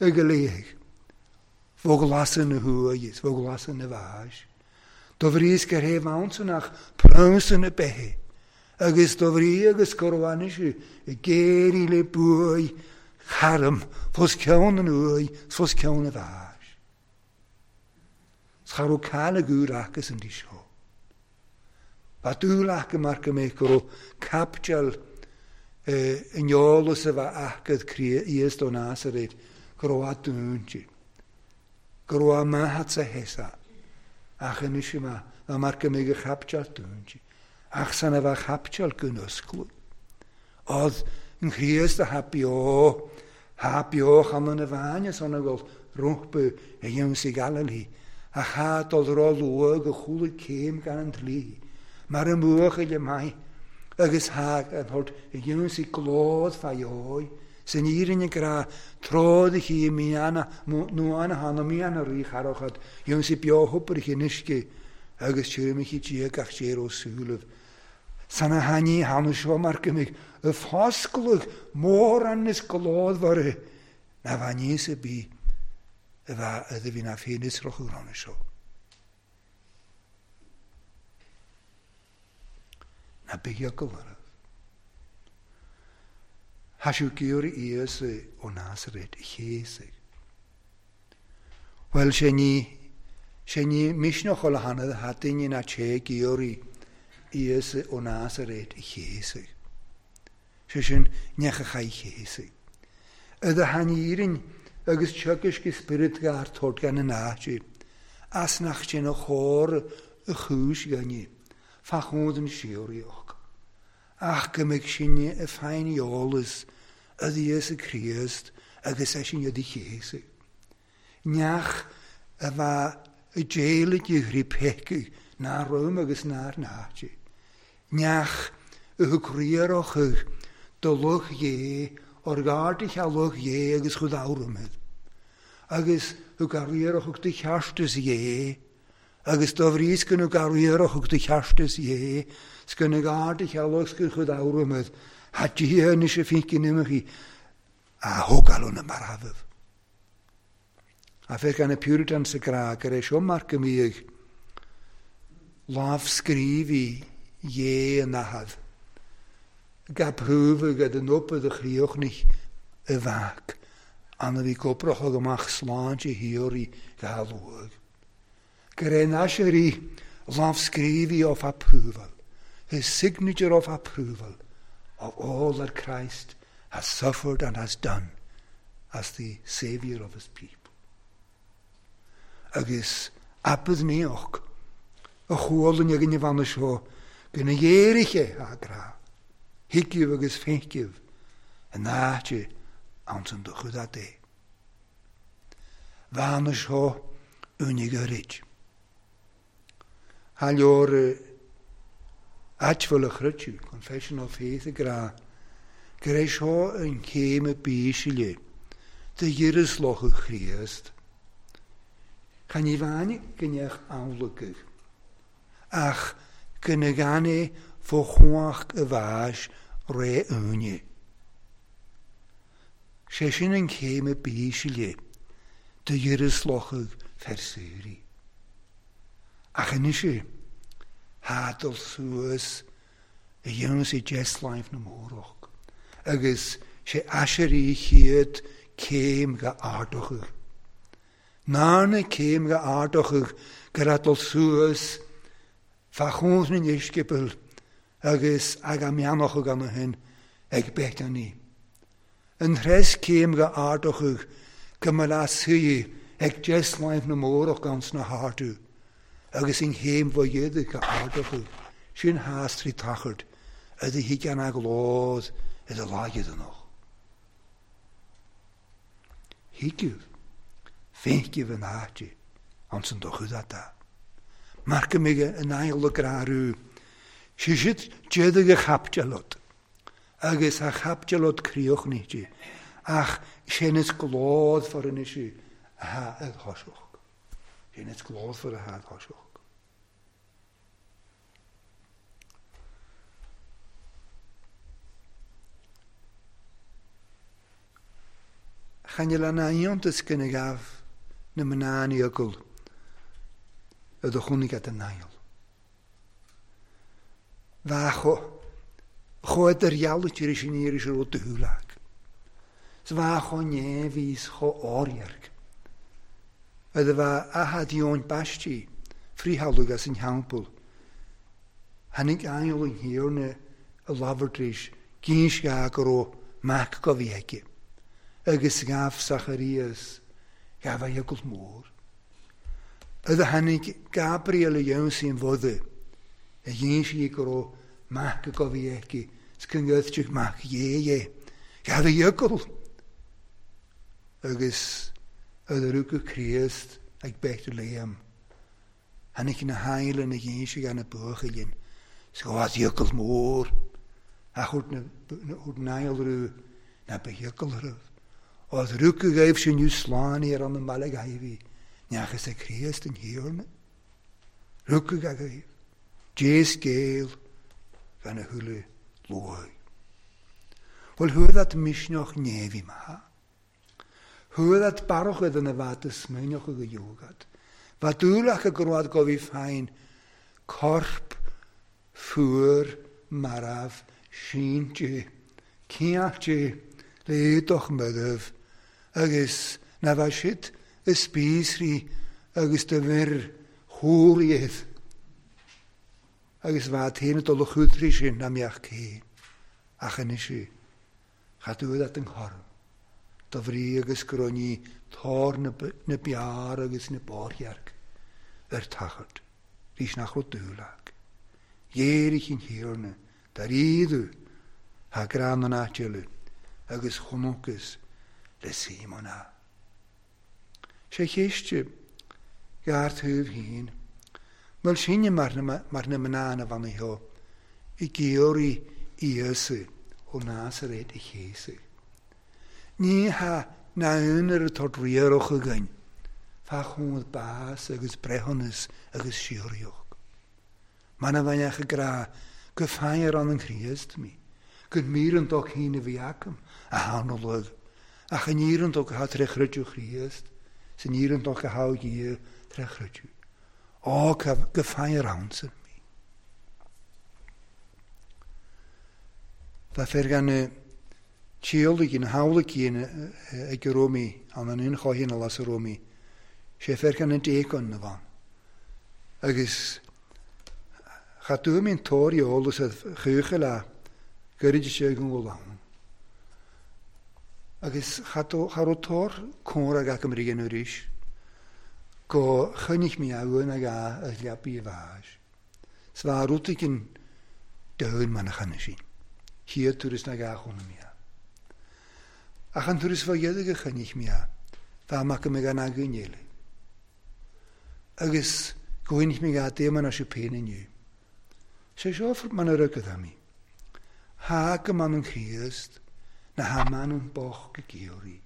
i go léig. Bhog lasadh na huaighe is bhog lasadh na bháis. Do bhríos gur thaobh ansan ach prionsa na beithe, agus do bhrí agus go raibh anois ag éirí le buaidh charm fos ceann an uaigh 's fos ceann a bháis. 'S cha raibh caill ag úr aca san dtí seo. Ba dúil aca mar go mbeadh go raibh caipiteal in eolas a bheith aca Íosa ó Nasaret go raibh a dúinte. Go raibh a mbeatha sa hesa. Ach anois ma, ná mar go mbeadh a chaipiteal dúinte. Ach san a bheith chaipiteal go n-oscladh. Odd an Chríost a tha beo, tha beo chan ina bhainne san a bhfuil rompu a dhéanamh Galilee, ach tha dul ró-luath go chúlaigh céim gan an dlí, mar a mbuachaill maith, agus tha an hort a dhéanamh glód fa dheoidh, san fhírinne grá tród a chi miana nuana hana miana rí charachad, dhéanamh beo hobair in uisce, agus tirimich Dia gach déar ó súlaibh. San a thaitní thána seo mar go mbeidh y foscladh mórán is glódmhar na bheith níos a bí a bheith a bhí na féin is rochadh rána seo. Na bíogal oraibh. Tha siú giorra Íosa ó Nasaret a chéasaigh. Bhuel, sé ní, sé ní misneach ó hanad tha duine ná té giorraí Íosa ó Nasaret a chéasaigh. Sé sin neach a chaith chéasaigh. Yd a thanírin agus teagasc i spiorad gar tord gan an áit, as nach sin a chóir a chúis gainne, fa chód an síoraíoch. Ach go mbeidh sinne a féin eolas a Íosa Críost agus é sin a chéasaigh. Neach a bheith i déalaigh i thrí pecaigh ná rom agus nár náite. Neach a thug riarach do luch dhé, or garda cha luch dhé agus chud áramid. Agus thug a riarach do cheartas dhé, agus do bhríos go nó riarach do cheartas dhé, 's go na garda cha luch go chud áramid, ha Dia anois a finkin imeachaí a thógáil na marbh. A fer gan y Puritans y gra gur é seo mar go mbíodh lámhscríobhaí dhé an athad. Ga prúfadh ad an opa do chríochnich i bhac, an a bhí gobrach amach sláinte thíoraí ga luaigh. Gur é nasirí lámhscríobhaí of approval, his signature of approval of all that Christ has suffered and has done as the saviour of his people. Agus abad níoch a chualann ag an bhanna seo go na dhéiriche a grá, thuigibh agus féicibh an áite ansan do chud é. Bhanna seo únig a rid. Tha leor áitbhfuil a chruitiú, Confession of Faith a grá, gur é seo an chéim a bísile de dhíras lochadh Chríost. Chan i bhain go neach amhlagadh, ach go na gan é fó chuach a bháis ré úine. Sé sin an chéim a bísile de dhíras lochadh fersúirí. Ach anois tha dul suas a dhéanamh sé deasláimh na mórach, agus sé aisirí chiad céim go ardachadh. Ná na céim go ardachadh gur a dul suas fa chóns na n-uiscebeal agus ag a meanachadh gan a shin ag Bethany. An threis céim go ardachadh go mba le suí ag deasláimh na mórach gan sna hardú, agus in chéim bha dhéadach go ardachadh sin thas trí tachard a do thig an aglód i do láigeadannach. Thuigibh, féicibh an áite Ansan do chudat. Mar go mbeidh an aigheall ag grarú. Sé siad d'fhéadfadh a chaipitealot, agus a chaipitealot críochnaíte, ach sin is glódfar anois a tha ag thoiseacht. Sin is glódfar a tha ag thoiseacht. Chan fhuil an iontas go n-gabh na mná an eagal i do chónaí at an Niall. Bheadh chomh idirdhealú tar éis an iarraidh seo raibh dúil ag. 'S bheadh chomh neamhaí 's chomh órdhearg. Fhad a bheadh athad Eoin Baistí frithalladh as an theampall, tháinig aingeal an Thiarna i labhairt tar éis gínseadh go raibh mac go bhí aige, agus ghabh Sacharias, ghabh a eagal mór. Fhad a tháinig Gabriel a dh'ionsaí an bhoda, a dh'insigh go raibh mac go bhí aici, 's go ngoidteadh mac Dhé é, ghabh a eagal. Agus fhad a rugadh Críost ag Bethlehem, Tháinig na haingil ina dh'inse gan na buachaillín 's go bhfad eagal mór ach thabhairt na n-aingil raibh ná ba eagal raibh. Ó rugadh dhaoibhse inniu slán ar an mbaile Gaibhí, neachas ag Críost an Thiarna. Rugadh agaibh, Dé scéal gan a thuilleadh luaidh. Bhuel chuaigh that misneach neamhaí maith. Chuaigh that barrachad ina bhfad is smaoineochadh go gheobhadh. Bheadh dúil acu go raibh go bhí féin corp fuar marbh sínte ciailte le éadach marbh agus ná bheadh siad i spíosraí agus do bhir chóir iad agus bheadh féin ag dul a chútrí sin ná mbeadh cé ach anois Cha dúil at an chorn, do bhrí agus go raibh ní tor na bpeár agus na bpáirthearc ar tachairt, rís nach raibh dúil ag. Ghéaraigh an Thiarna dar íodú thá greann an áit eile agus chonacthas le Síomón a. Sé cheist ghearr taobh féin, bhfuil sinne mar na mná na bhfanaí seo ag iarraidh Íosa ó Nazaret a chéasadh? Ní hea ná aon oiread tort riarach againn fá chónaí bás agus breithiúnas agus síoraíocht. Mana bheinn ach ag rá go feidhm ann an Chríost mí, gur mír an dá cinn a bhí agam a tharnóladh, ach an fhíor an dá atá tré chreideamh Chríost, 's an fhíor an dá atá Dhia tré chreideamh. Á, go feidhm ann san mí. Bheadh fir gan tíolaic na hamhlaigh ag a raibh mé, an an inchoighin a las a raibh mé, sé fir gan an déacon na bhan. Agus cha dtuaim an tóir eolas ar chúcha le gairid sé go bhfuil ann. Agus cha raibh tóir cónra ag agam rian arís go choinnigh mé uain ag a leapaí a bháis. 'S bheadh rud éigin domhain mar na chanadh sin. Chéad turas na gá chónaí mé. Ach an turas fá dheireadh a choinnigh mé, bheadh mac mé gan againn eile. Agus go bhfuinfidh mé gá daoman as féin inniu. Sé seo mar a rugadh mé. Thá go man an Chríost, na há man an bocht go gíoraí.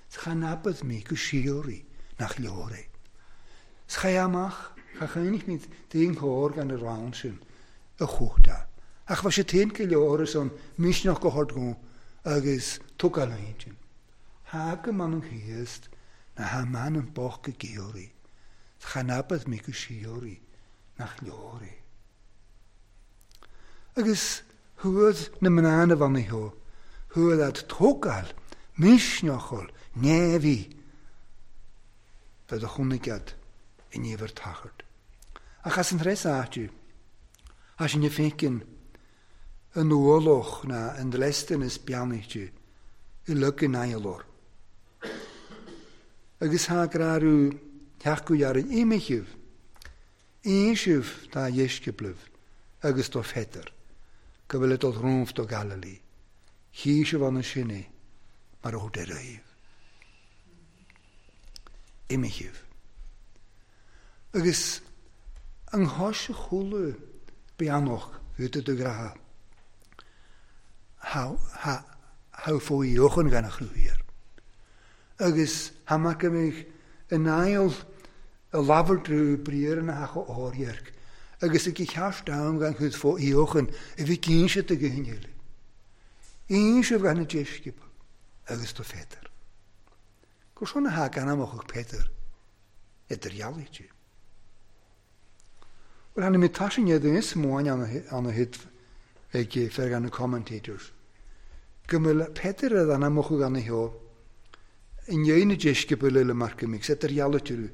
'S cha n-abad mé go síoraí nach leor é. 'S cha amach, cha choinnigh mé d'aon chóir gan a rann sin a chuachta. Ach bheadh sé féin go leor ar son misneach go hard go agus tógáil an intinn. Thá go man an Chríost, na há man an bocht go gíoraí. 'S cha n-abad mé go síoraí nach leor é. Agus Chuaigh na mná na bhfanaí sheo, chuaigh ad tógáil misneachúil neamhaí do do chónaigh ad i ndiamhair tachairt. Ach as an tres áite, as sin a féiceann an ualach ná an dlesteanas beannaithe uilig in aghaidh Agus thá grarú theacht go dhearfainn imigh Innsibh dá dheisceablaibh agus do Pheter go bhfuil ag dul romhaibh do Galilee, tchí sibh ann ansin é mar a thug ar aghaidh. Imigh. Agus an chois a chuala beannach fút do ghrá, tha fó-eochan gan a chruthaíor. Agus tha mar go mbeadh an aill a labhairt trú briathra na hacha órdheirc, agus ag ceart am gan chud fó-eochan a bhí cinnte do ghuth eile. Inseamh gan na deisceabail agus do Pheter. Gur seo na tha gan amach ag Peter idir dhealaithe. Well, hanna mi tasin iad is móin an a hit ag fer gan na commentators. Go mbeadh Peter a dhan amach gan a heo i ndiaidh na deisceabail eile mar go mbeadh idir dhealaithe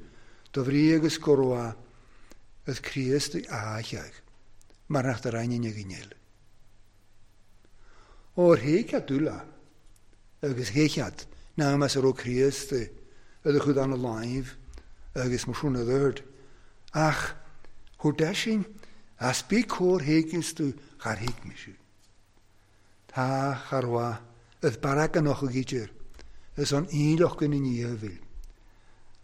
do bhrí agus go raibh az Críost a cheag mar nach do rainn ag an eile. Óir théicead dúla agus théicead ná más a raibh Críost i do chud an láimh agus mar sin a dúirt. Ach chuir deisin as bí cóir théiceas tú char thuig mise. Tá char mhaith is barac an och idir is an aonloch in ndiaidh.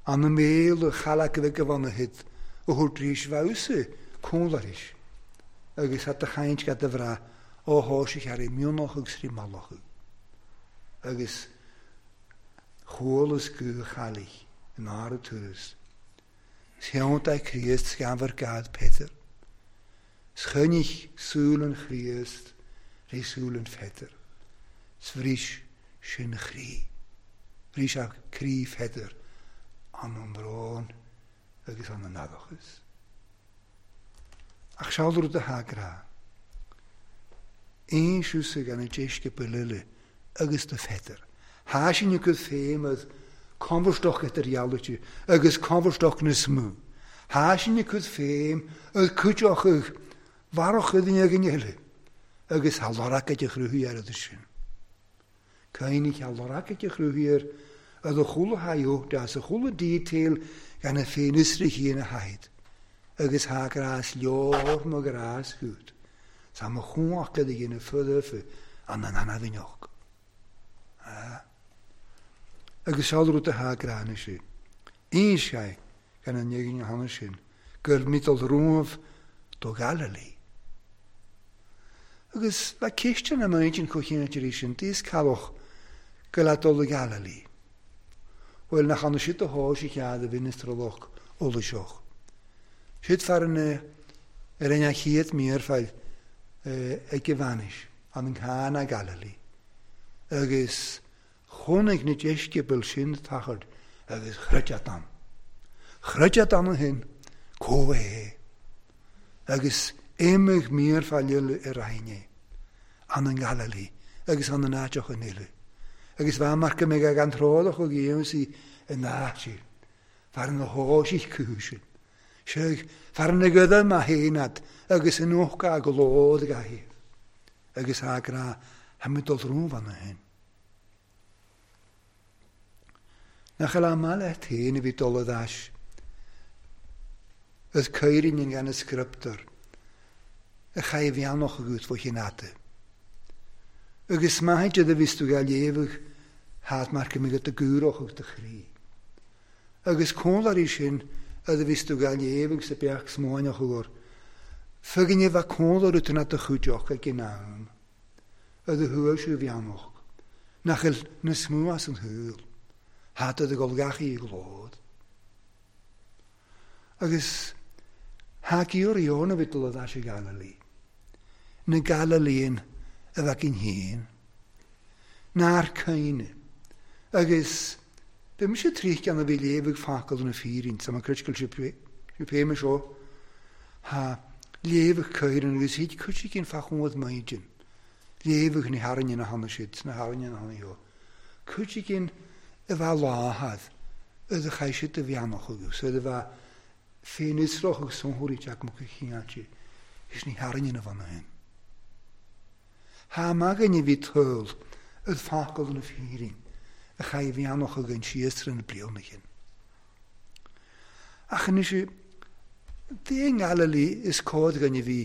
An na méal a chalac a bheith go bhana hit a thabhairt rís bhfeabhsa cúnlaris agus hat a chaint gad a bhrath ó thá sé chearraí mionach agus rí mallach. Agus chualas go chalich in ára turas. Shéanta Críost scanfar gad Peter. Schoinnich súil an Chríost ré súil an Pheter. Sbhrís sin chrí. Bhrís a croí Pheter an an brón agus an an adachas. Ach seal rud a thagrá. Aon siúsa gan an deisceabail eile agus do Pheter. Thá sin a gcuid féim as conbharstoch idir dhealaithe agus conbharstoch na smú. Thá sin a gcuid féim as cuideach ag bharrach duine againn eile agus thá lorg ag a chruthaí ar sin. Caoinigh thá lorg ag a chruthaí ar a chuala thaidh deas a chuala detail gan a féin isrich ina thaid. Agus thá grás leor mo grás goed. Sa mo chuach a dhéanamh fuda an an anabhinneach. Agus seal rud a thá grána sé. Aon sé gan an éigin hana sin, gur mítal romh do Galilee. Agus bheit ceistean am intinn chomh rí sin, díos calach go le dul i Galilee. Bhuel nach anna siad a thá sé chead a bhinistralach olaiseach. Siad fear ar an chéad mír fáil ag a bhainis an an Cana Galilee. Agus chonaic na deisceabail sin tachard agus chreideadh ann. Chreideadh ann a shin, có é. Agus imigh mír fáil eile ar aithne, an an Galilee agus an an áiteach an eile. Agus bheit mar go mbeidh ag an tródach ó ghéansaí in áit fear na hóisich cúsin. Sé fear na gada ma héanad agus an ócha go lód gahi. Agus a gra ha mi dul rúmhan a hin. Nach eile maith leat féin a bhí dul a dais. Is cuirin an gan scriptur a chaith bheannach agat fá chin. Agus maith a bhís tú ga léamh hát mar go mbeadh do gúrach ag do chroí. Agus cónlarí sin a bhís tú ga léamh sa beach smáineach uair. Fuginne bheith cónlar út na do chuideach ag an am. A do thuail siú bheannach. Nach bhfuil na smú as an shúil. Hát a do gol gachaí glód. Agus thá gior a bhí dul a dais i Galilee. Na Galilean a bheith gin héin. Nár caoine. Agus bhí mise tríocha a bhí léamh ag focal na fírin, sa ma critical sé seo. Thá léamh ag cuireann agus hiad cuid cinn fachúad maidin. Léamh na harainne na hana siad, na harainne na hana eo. Cuid cinn a bheith láthad, a chaith siad a bheannach agus a bheith féin-israch agus sonthóirí teach mo chineáilte, is ní harainne na bhana hin. Thá magainne bhí toil ad focal na fírin a chaith bheannach againn síos na bliana chin. Ach anois dé Galilee is cód againn a bhí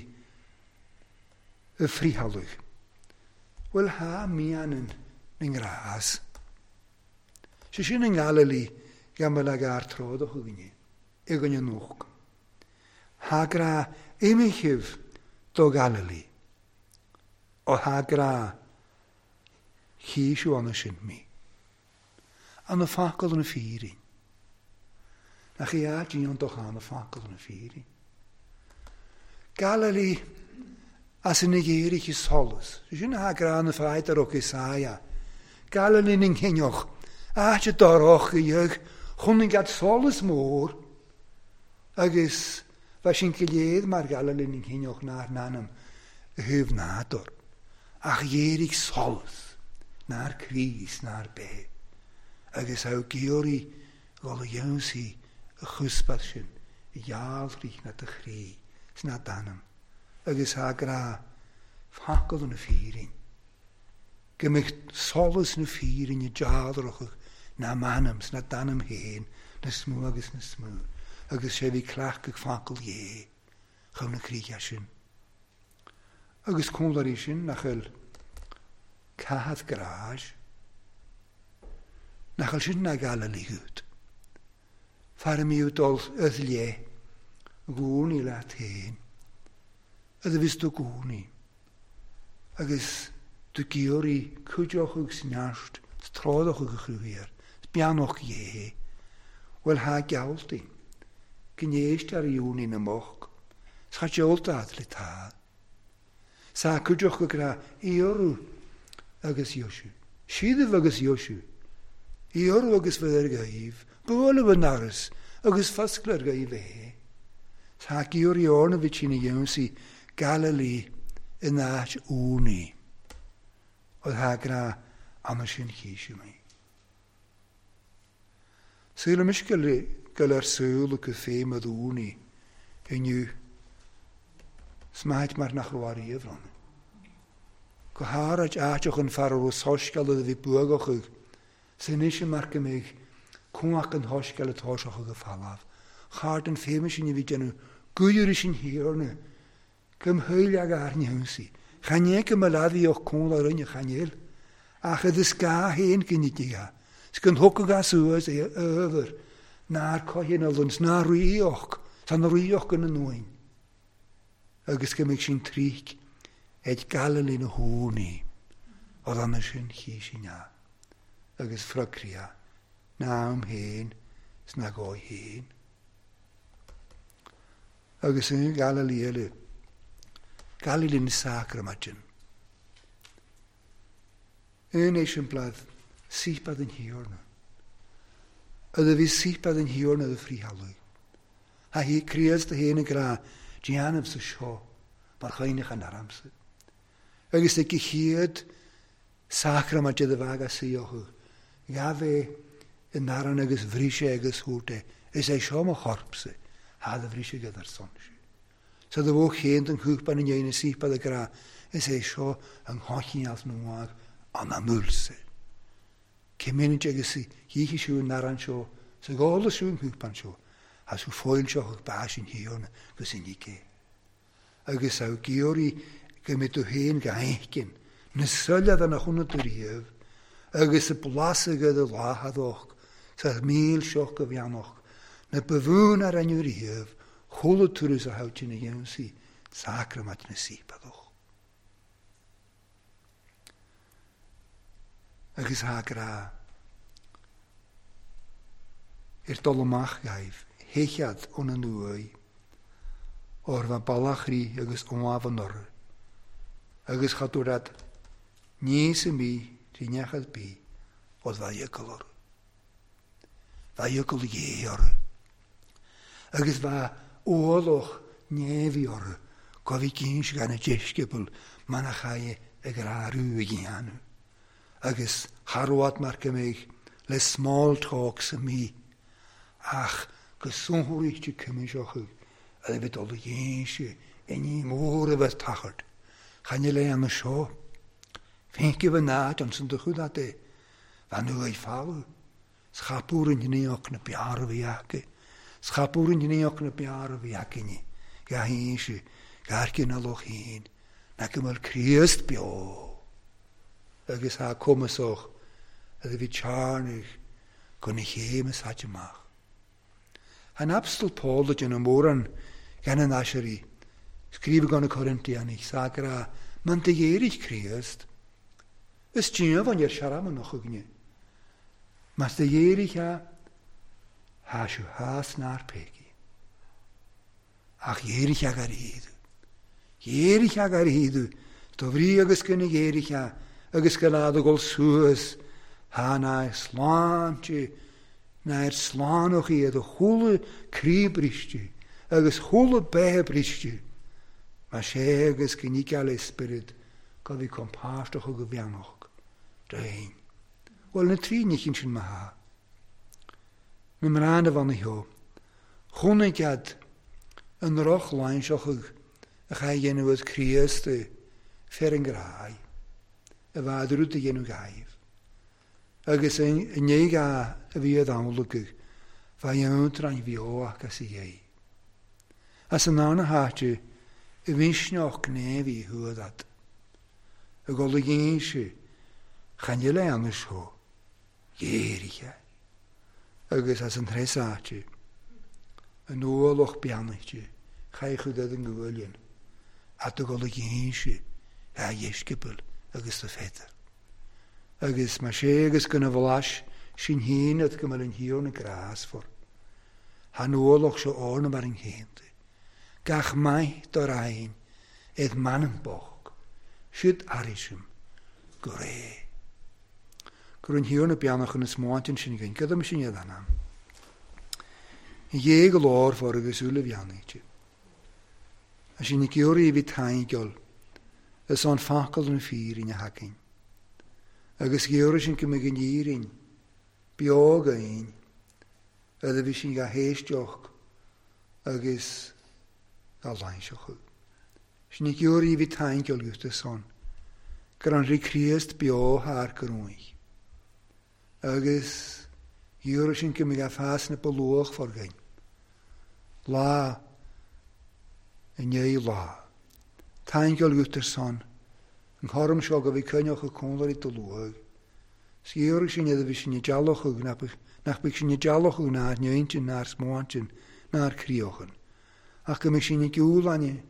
y frihalwg. Wel ha mian yn ngrás. Sé sin yn Galilee gan bhfuil ag ar tródach againne, againne nóch. Thá grá imigthibh do Ghalilí, ó thá grá chísiú ann sin mí. An focal na fírin. Nach í áit an do an focal na fírin. Galilí as in ghéirich solas. Sin ha grá na fáidir ó Isaia. Galilí na gcinneach. Áit doroch dheag chun gad solas mór agus bheit sin go léad mar Galilí na gcinneach nár nanam a thuh nádúr. Ach ghéirich solas nár críos nár bé. Agus á géoirí gáil a dhéansaí a chuspad sin gheallrich na do chrí sna danam. Agus á grá focal na fírin. Go mbeadh solas na fírinne dealrachach na manam sna danam féin na smú agus na smú. Agus sé bhí cleachtadh focal dhé chun na críche sin. Agus cúnlarí sin nach bhfuil caitheamh gráis. Nach bhfuil sin na Galilí gut. Fear a mbíodh dul ith léith gcónaí leat féin. A bhís do gcónaí. Agus do géoirí cuideoch agus neart, tráideach agus chruthaíar, beannach dhé. Bhuel thá gealltaí, go n-éist ar dheonaí na mboc, 's cha deolta le tá. Sa cuideoch go grá iorú agus Iosú. Síadamh agus Iosú. Iorú agus bheith ar gaibh, bualadh an aras agus foscladh ar gaibh é. Tá géoirí orna bhí sin a dhéansaí Galilí in áit únaí. Ó tá grá anna sin chísiú mé. Saoil go ar súil go féim a dúnaí inniu. Smáid mar nach raibh riamh ann. Go háirid áiteach an fear a raibh soiscéal a bhí buagach san ise mar go mbeidh cumhacht an shoiscéal atá seo go falamh. Chart an féime sin a bhí déanamh gúir sin thiarna go mthuill ag airne thúsaí. Chan é go mba leadhíoch cúnla rinne chanéil, ach iad is gá féin ginidigh. 'S go dtugfadh as suas é ábhar nár coithin a luns ná ríoch, tá na ríoch ina nuain. Agus go mbeidh sin tríc ag Galilí na húnaí, ó dhanna sin chí sin ea. Agus frocria na am féin 's na dhóigh féin. Agus in Galilí eile, Galilí na sacramaidin. Un éisiamplad sípad an thiarna. A bhí sípad an thiarna do fríthealadh. Ha hí Críost a héana grá déanamh sa seo mar chuineach an aramsa. Agus ag chéad sacramaid a bheag a saothú. Gha bheith in aran agus bhríse agus thuairt Is é seo mo chorpsa, ha do bhríse go ar son sé. Sa do bhó chéan den chúpan in dhéana sípad a grá, is é seo an chochínealt nuag an amúlsa. Cé agus dhíche siú an aran seo, sa gála siú an chúpan seo, as ú fóilseach ag bás in thiarna gus in ike. Agus á géoirí go mbeidh tú féin go haithcinn, na soile na chuna tú riamh, agus a blas agad a láthadach, sa míl seo go bheannach, na bhún ar an riamh, chuala turas a thabhairt ina dhéansaí, sacramaid na sípadach. Agus thá grá. Ar dul amach gaibh, héichead ón an uaidh, ór bheith ballachrí agus ómh an orthu. Agus cha dúrad níos a mí rinneachad bí ó bheith iocall orthu. Bheith iocall dhé orthu. Agus bheith ualach néimhí orthu, go bhí cinn gan a deisceabal manachai ag rárú a dhéanamh. Agus charwad mar go mbeidh le small talk sa mí, ach go sonthóiríte cuimiseach a bheith dul a dhéanse inní mór a bheith tachart. Chan le an seo. Féince bheith náid an san do chud é, bheith nu ag fálu. Schapúr an gníoch na bear a bhí acu. Schapúr an gníoch na bear a bhí acu. Ga héise, garcin na loch héin, na go bhfuil Críost beo. Agus thá cumasach a bhí tearnach go na chéim is amach. An Apostol Paul a déanamh mórán Gan an Aisirí, scríobh gan na Corintianaigh, sagra, man do ghéirigh Críost, is díomhain ar searman a chugainne. Mas do ghéirigh a, thá siú thás nár péicí. Ach ghéirigh a gar iad. Ghéirigh a gar iad, do bhrí agus go na ghéirigh a, agus go lá do dhul suas, thá ná sláinte, ná ar slánach iad a chuala croí briste agus chuala beithe briste, más é agus go níceáil é spiorad go bhí compáirteach go bheannach d'aon. Bhuel, na trí níchín sin má thá. Na mná na bhanna theo. Chonaic iad an roch lainseach a chaith dhéanamh as Críost fer an gráidh, a bhead rud a dhéanamh gaibh. Agus i ndiaidh a bhí ad amhlaidh, bheadh iontráin bheo aca sa dhéidh. As an darna háit i mhisneach gné bhí thuad ad. Ag dul ag inse, chan fhuil aon seo, ghéirighe. Agus as an treis áit, an ualach beannaithe, chaith chuid ad an ngualainn, at ag dul ag inse, a dheisceabail agus do Pheter. Agus mar sé agus gona bhlais sinn féin at go mbeadh an Thiarna grásmhar. Thá an ualach seo orna mar an chéanta. Gach maith do raghainn id m'anam bocht, siúd airisim go réidh. Go raibh an Thiarna beannach ina smáint ansin againn, gadaim sin iad anam. A Dhé go lármhar agus uaillmhianaigh. A sin ag iarraidh a bhí taingeal is an focal an fírinne againn. Agus gheobhaidh sin go mbeidh an fhírinn beo againn fhad a bhí sin dhá héisteacht agus dhá lainseachadh. Sin ag iarraidh a bhí taingeal uta san gur an Rí Críost beo thar go ruaig. Agus gheobhaidh sin go mbeidh a fás na ba luachmhar againn. Lá i ndiaidh lá. Taingeal uait ar son an chothrom seo go bhí coinneocha cónairí do luath. 'S gheobhaidh sin iad a bhí sin i dteallachadh nach mbeidh sin i dteallachadh ná ar n-intinn ná ar smaointinn ná ar críochan, ach go mbeidh sin ag iúlainne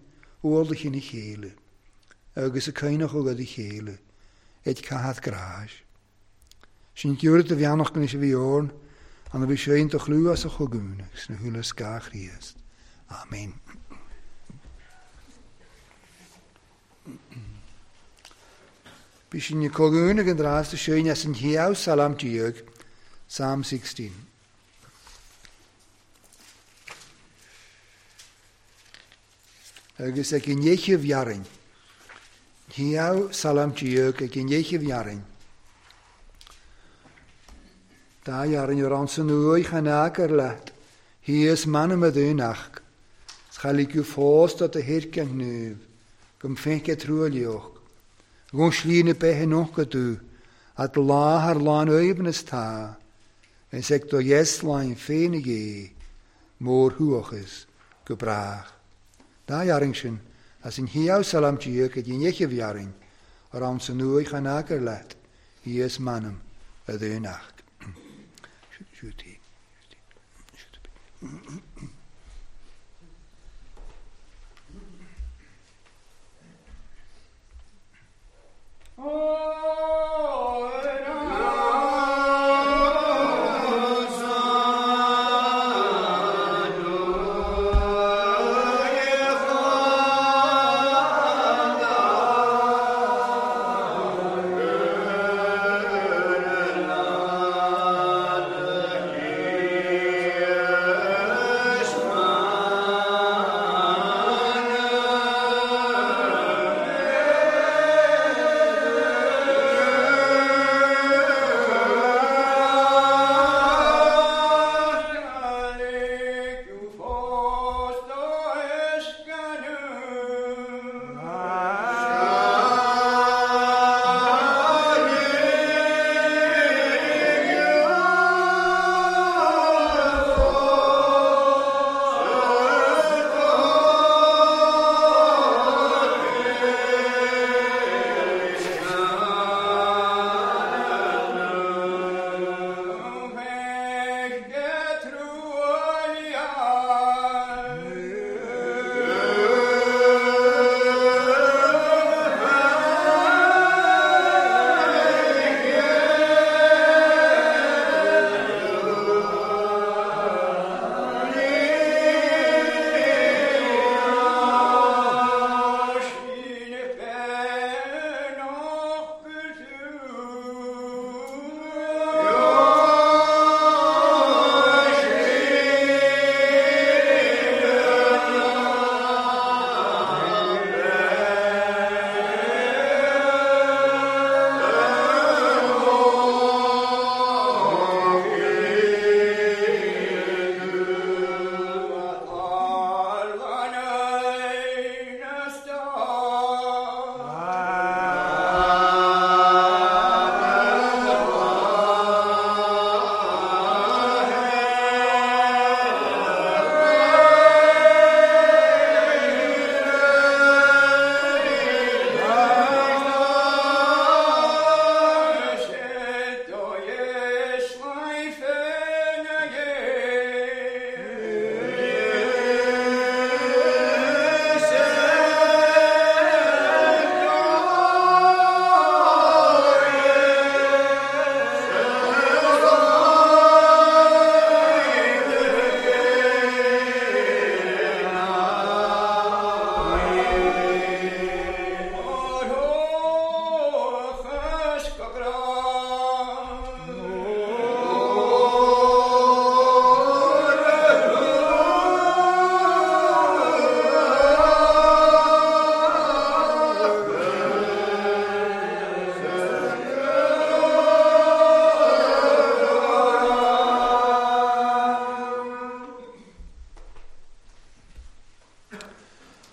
ualach ina chéile agus ag coinneochadh ad a chéile ag caitheamh gráis. Sin giorra do bheannacht anois a bhí orn, an a bhí sé do chlú as a chogain agus na húlla scáth Chríost. Amen. Bhí sin i cogain ag an drásta sin as an chéad salam déag, Psalm 16. Agus ag an ndeichiú bhfearainn. Chéad salam déag ag an ndeichiú bhfearainn. Dá fhearainn ar ann san uaigh chan eagar leat, thíos m'anam a dhúnach, 's cha ligeadh fós do do shirce an ghníomh, go mb'fhéice truaillíoch. Dhún slí na beithe nócha dú, at lá thar lán aoibhneas tá, is ag do dheasláin féin a Dhé, mórthuachas go brách. Dá fhearainn sin, as an chéad salam déag go dtí an fhichiú fhearainn, ar ann san uaigh chan eagar leat, thíos m'anam a dhúnach. Siúd í. Siúd í.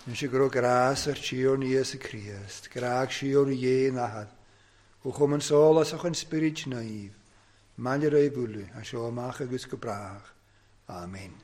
Anois go raibh grás ar Tiarna Íosa Críost, grádh síoraí Dhé an Athar, ó chum an sólásach an Spioraid Naoimh, maille ar aghaidh uile, as seo amach agus go brách. Amen.